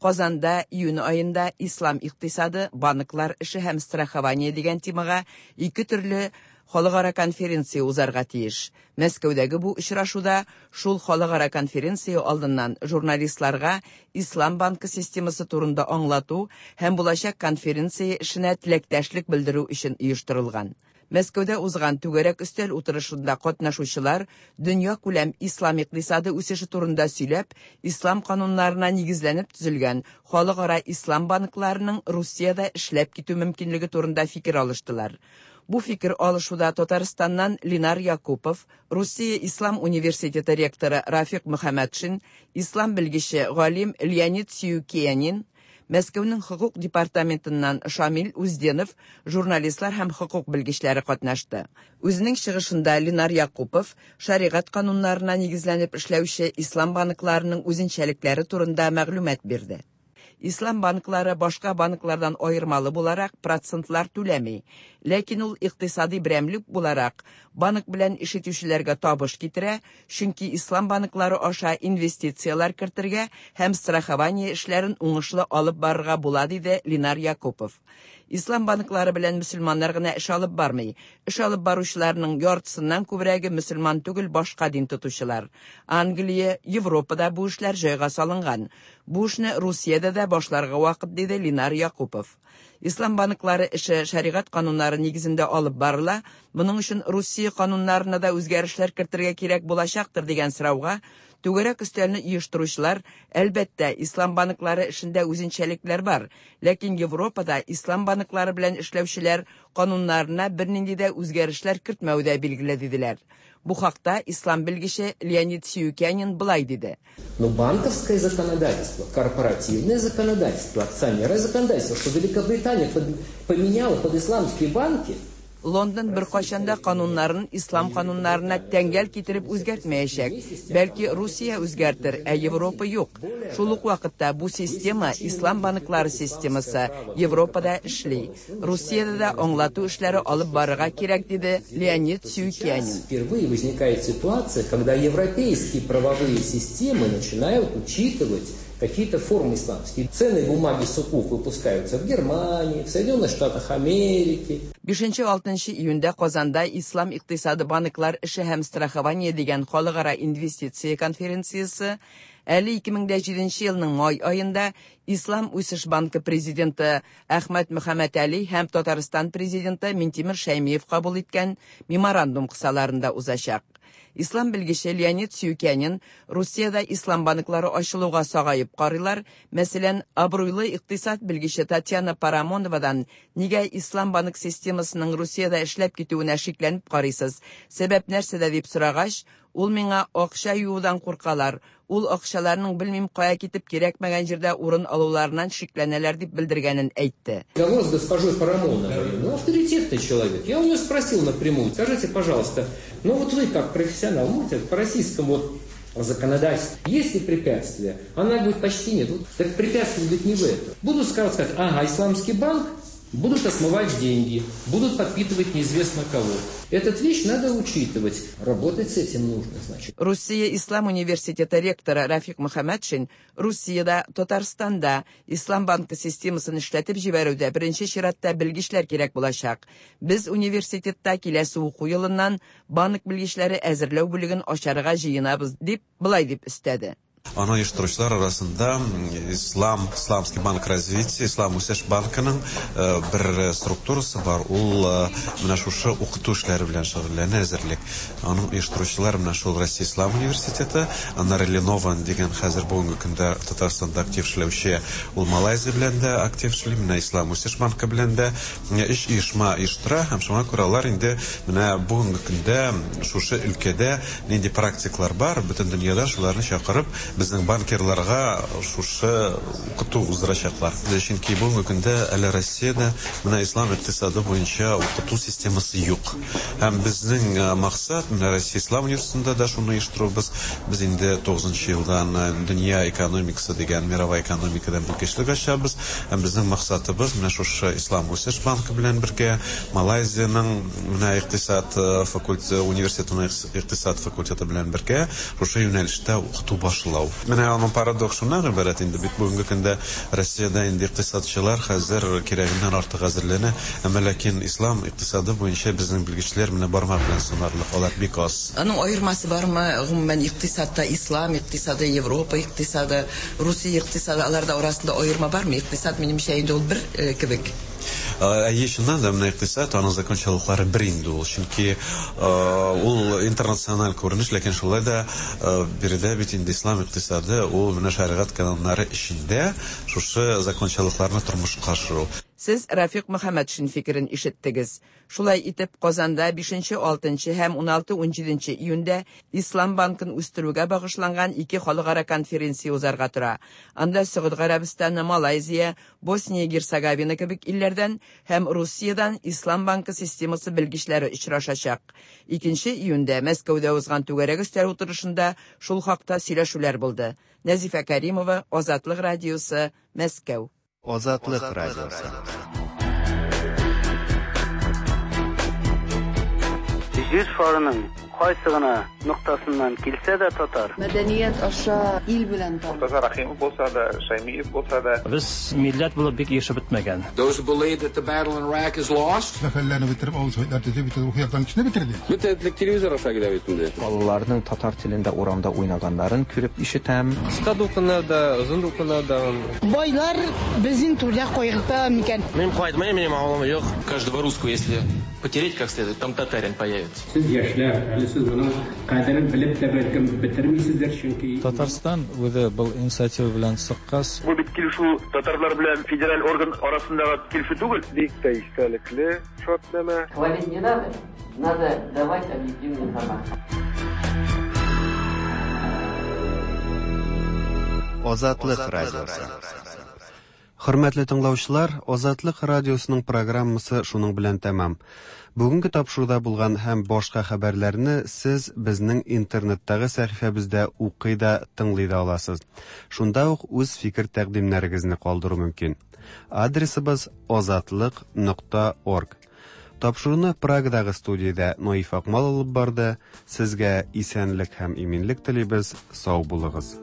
Казанда июнь аенда ислам икътисады, банклар эше һәм страхование дигән темага ике төрле халыкара конференция узарга тиеш. Мәскәүдәге бу очрашуда шул халыкара конференция алдыннан журналистларга Ислам банкы системасы турында аңлату һәм булачак конференция эшенә теләктәшлек белдерү өчен оештырылган. Мәскәүдә узган түгәрәк өстәл утырышында катнашучылар дөнья күләм ислам икътисады үсеше турында сөйләп, ислам кануннарына нигезләнеп төзелгән халыкара ислам банкларының Русиядә эшләп китү мөмкинлеге турында фикер алыштылар. Бу фикер алышуда Татарстаннан Линар Якупов, Русия Ислам университеты ректоры Рафик Мөхәммәтшин, ислам белгече галим Леонид Сиюкиянин, Мәскәүнең хокук департаментыннан Шамил Узденов, журналистлар һәм хокук белгечләре катнашты. Үзенең чыгышында Ленар Якупов шәригать кануннарына нигезләнеп эшләүче ислам банкларының үзенчәлекләре турында мәгълүмат бирде. Ислам банклары башка банклардан аермалы буларак процентлар түләми. Ләкин ул икътисади берәмлек буларак банк белән эш итүчеләргә табыш китерә, чөнки ислам банклары аша инвестицияләр кертергә һәм страхование эшләрен уңышлы алып барырга була, диде Ленар Якупов. Ислам банклары белән мөселманнар гына эш алып бармый. Эш алып баручыларның яртысыннан күбрәге мөселман түгел, башка дин тотучылар. Англия, Европада бу эшләр җайга салынган. Бу эшне Русиядә дә башларга вакыт, диде Ленар Якупов. Ислам банклары эше шәригать кануннары нигезендә алып барыла. Моның өчен Русия кануннарына да үзгәрешләр кертергә кирәк булачактыр дигән сорауга түгәрәк өстәлне оештыручылар, әлбәттә, ислам банклары эшендә үзенчәлекләр бар, ләкин Европада ислам банклары белән эшләүчеләр кануннарына бернинди дә үзгәрешләр кертмәү дә билгеле, диделәр. Бу хакта ислам белгече Леонид Сиюкянин былай диде. Но банковское законодательство, корпоративное законодательство, акционерное законодательство, что Великобритания поменяла под исламские банки, Лондон беркайчан да кануннарын ислам кануннарына тәңгәл китереп үзгәртмәячәк. Бәлки Русия үзгәртер, ә Европа юк. Шул ук вакытта бу система, ислам банклары системасы, Европада эшли. Русиядә дә аңлату эшләре алып барырга кирәк, диде Леонид Сюкянин. Впервые возникает ситуация, когда европейские правовые системы начинают учитывать какие-то формы исламские. Ценные бумаги сукук выпускаются в Германии, в Соединенных Штатах Америки. 5-6 июньдә Казанда Ислам икътисады банклар эше һәм страхование дигән халыкара инвестиция конференциясе әле 2007 елның май аенда Ислам үсеш банкы президенты Әхмәт Мөхәммәтәли һәм Татарстан президенты Минтимер Шәймиев кабул иткән меморандум кысаларында узачак. Ислам белгече Леонид Сюкянин Русиядә ислам банклары ачылуга сагаеп карыйлар. Мәсәлән, абруйлы икътисад белгече Татьяна Парамоновадан нигә ислам банк системасының Русиядә эшләп китүенә шикләнеп карыйсыз? Сәбәп нәрсәдә дип сорагач, ул миңа акча юудан куркалар. Ул акчаларның белмим кая китеп кирәкмәгән җирдә урын алуларыннан шикләнәләр дип белдергәнен әйтте. Разговор с госпожой Парамоновой, ну, авторитетный человек. Я у нее спросил напрямую, скажите, пожалуйста, ну вот вы как профессионал, можете по российскому законодательству, есть ли препятствия? Она говорит, почти нет. Вот, так препятствие будет не в этом. Будут сказать, ага, исламский банк, будут отмывать деньги, будут подпитывать неизвестно кого. Этот вещь надо учитывать. Работать с этим нужно, значит. Русия Ислам университеты ректоры Рафик Мөхәммәтшин Русиядә, Татарстанда Ислам банкы системасын эшләтеп җибәрүдә беренче чиратта белгечләр кирәк булачак. Без университетта киләсе уку елыннан банк белгечләре әзерләү бүлеген ачарга җыенабыз, дип былай дип өстәде. Аны оештыручылар арасында Ислам, Исламский банк развития, Ислам үсеш банкының бер структурасы бар. Ул менә шушы укыту эшләре белән шөгыльләнә әзерлек. Аның оештыручылар менә шул Россия Ислам университеты, аннары Ленован дигән хәзер бүгенге көндә Татарстанда актив эшләүче, ул Малайзия белән дә актив эшли, менә Ислам үсеш банкы белән дә өч оешма оештыра һәм шуңа күрә алар инде менә бүгенге көндә шушы өлкәдә нинди практиклар бар, бөтен дөньяда шуларны чакырып безнең банкирларга шушы укыту уздырачаклар. Чөнки бүгенге көндә әле Россиядә менә ислам икътисады буенча укыту системасы юк. Һәм безнең максат менә Россия Ислам университетында да шуны оештырубыз. Без инде 9 елдан дөнья экономикасы дигән мировая экономикадан белгечлек ачабыз. Һәм безнең максатыбыз менә шушы Ислам үсеш банкы белән бергә Малайзиянең менә икътисад факультеты университетының икътисад факультеты белән бергә шушы юнәлештә укыту башлау. Менә аның парадокс шуннан гыйбарәт инде бит бүгенге көндә Россиядә инде икътисадчылар хәзер кирәгеннән артык әзерләнә, әмма ләкин ислам икътисады буенча безнең белгечләр менә бармак белән санарлык, алар бик аз. Аның аермасы бармы? Гомумән икътисадта ислам икътисады, Европа икътисады, Русия икътисады, аларда арасында аерма бармы? Икътисад минемчә инде ул бер кебек. Әйе, чыннан да менә икътисад, аның закончалыклары бер инде ул, чөнки ул интернациональ күренеш, ләкин шулай да биредә бит инде ислам икътисады, ул менә шәригать кануннары эчендә шушы закончалыкларны тормышка ашыру. Сез Рафик Мөхәммәтшин фикерен ишеттегез. Шулай итеп, Казанда 5-6 һәм 16-17 июньдә Ислам банкын үстерүгә багышланган ике халыкара конференция узарга тора. Анда Сөгуд Гарәбстаны, Малайзия, Босния Герцеговина кебек илләрдән һәм Русиядән Ислам банкы системасы белгечләре очрашачак. 2 июньдә Мәскәүдә узган түгәрәк өстәл утырышында шул хакта сөйләшүләр булды. Нәзифә Каримова, Азатлык радиосы, Мәскәү. Азатлык радиосы. Җир шарының кайсы гына ноктасыннан килсә дә татар. Мәдәният аша ил белән таныш. Мортаза Рахимов булса да, Шаймиев булса да. Без милләт булып бик ирешеп бетмәгән. Those who believe that the battle in Iraq is lost. Мәхәлләне бетереп, авыл советлар төзеп, бөтен рухи яктан кешене бетерде. Бөтен телевизор аша килә бит инде. Балаларның татар телендә урамда уйнаганнарын күреп ишетәм. Кыска дулкыннар да, озын дулкыннар да. Байлар безнең түрдә кайгырта микән? Мин кайтмыйм, минем авылым юк. Каждого русского, если потереть как следует, там татарин появится. Сез яшьләр, әле сез моның кадерен белеп тә бәлкем бетермисездер, чөнки Татарстан үзе был инициатива белән чыккач. Бу бит килешү татарлар белән федераль орган арасындагы килешү түгел. Бик тә истәлекле шартнамә. Хвалить не надо, надо давать объективную информацию. Азатлык радиосы. Хөрмәтле тыңлаучылар, Азатлык радиосының программасы шуның белән тәмам. Бүгенге тапшыруда булган һәм башка хәбәрләрне сез безнең интернеттагы сәхифәбездә укый да, тыңлый да аласыз. Шунда ук үз фикер-тәкъдимнәрегезне калдыру мөмкин. Адресыбыз азатлык нокта орг. Тапшыруны Прагадагы студиядә Наиф Акмал алып барды. Сезгә исәнлек һәм иминлек телибез. Сау булыгыз.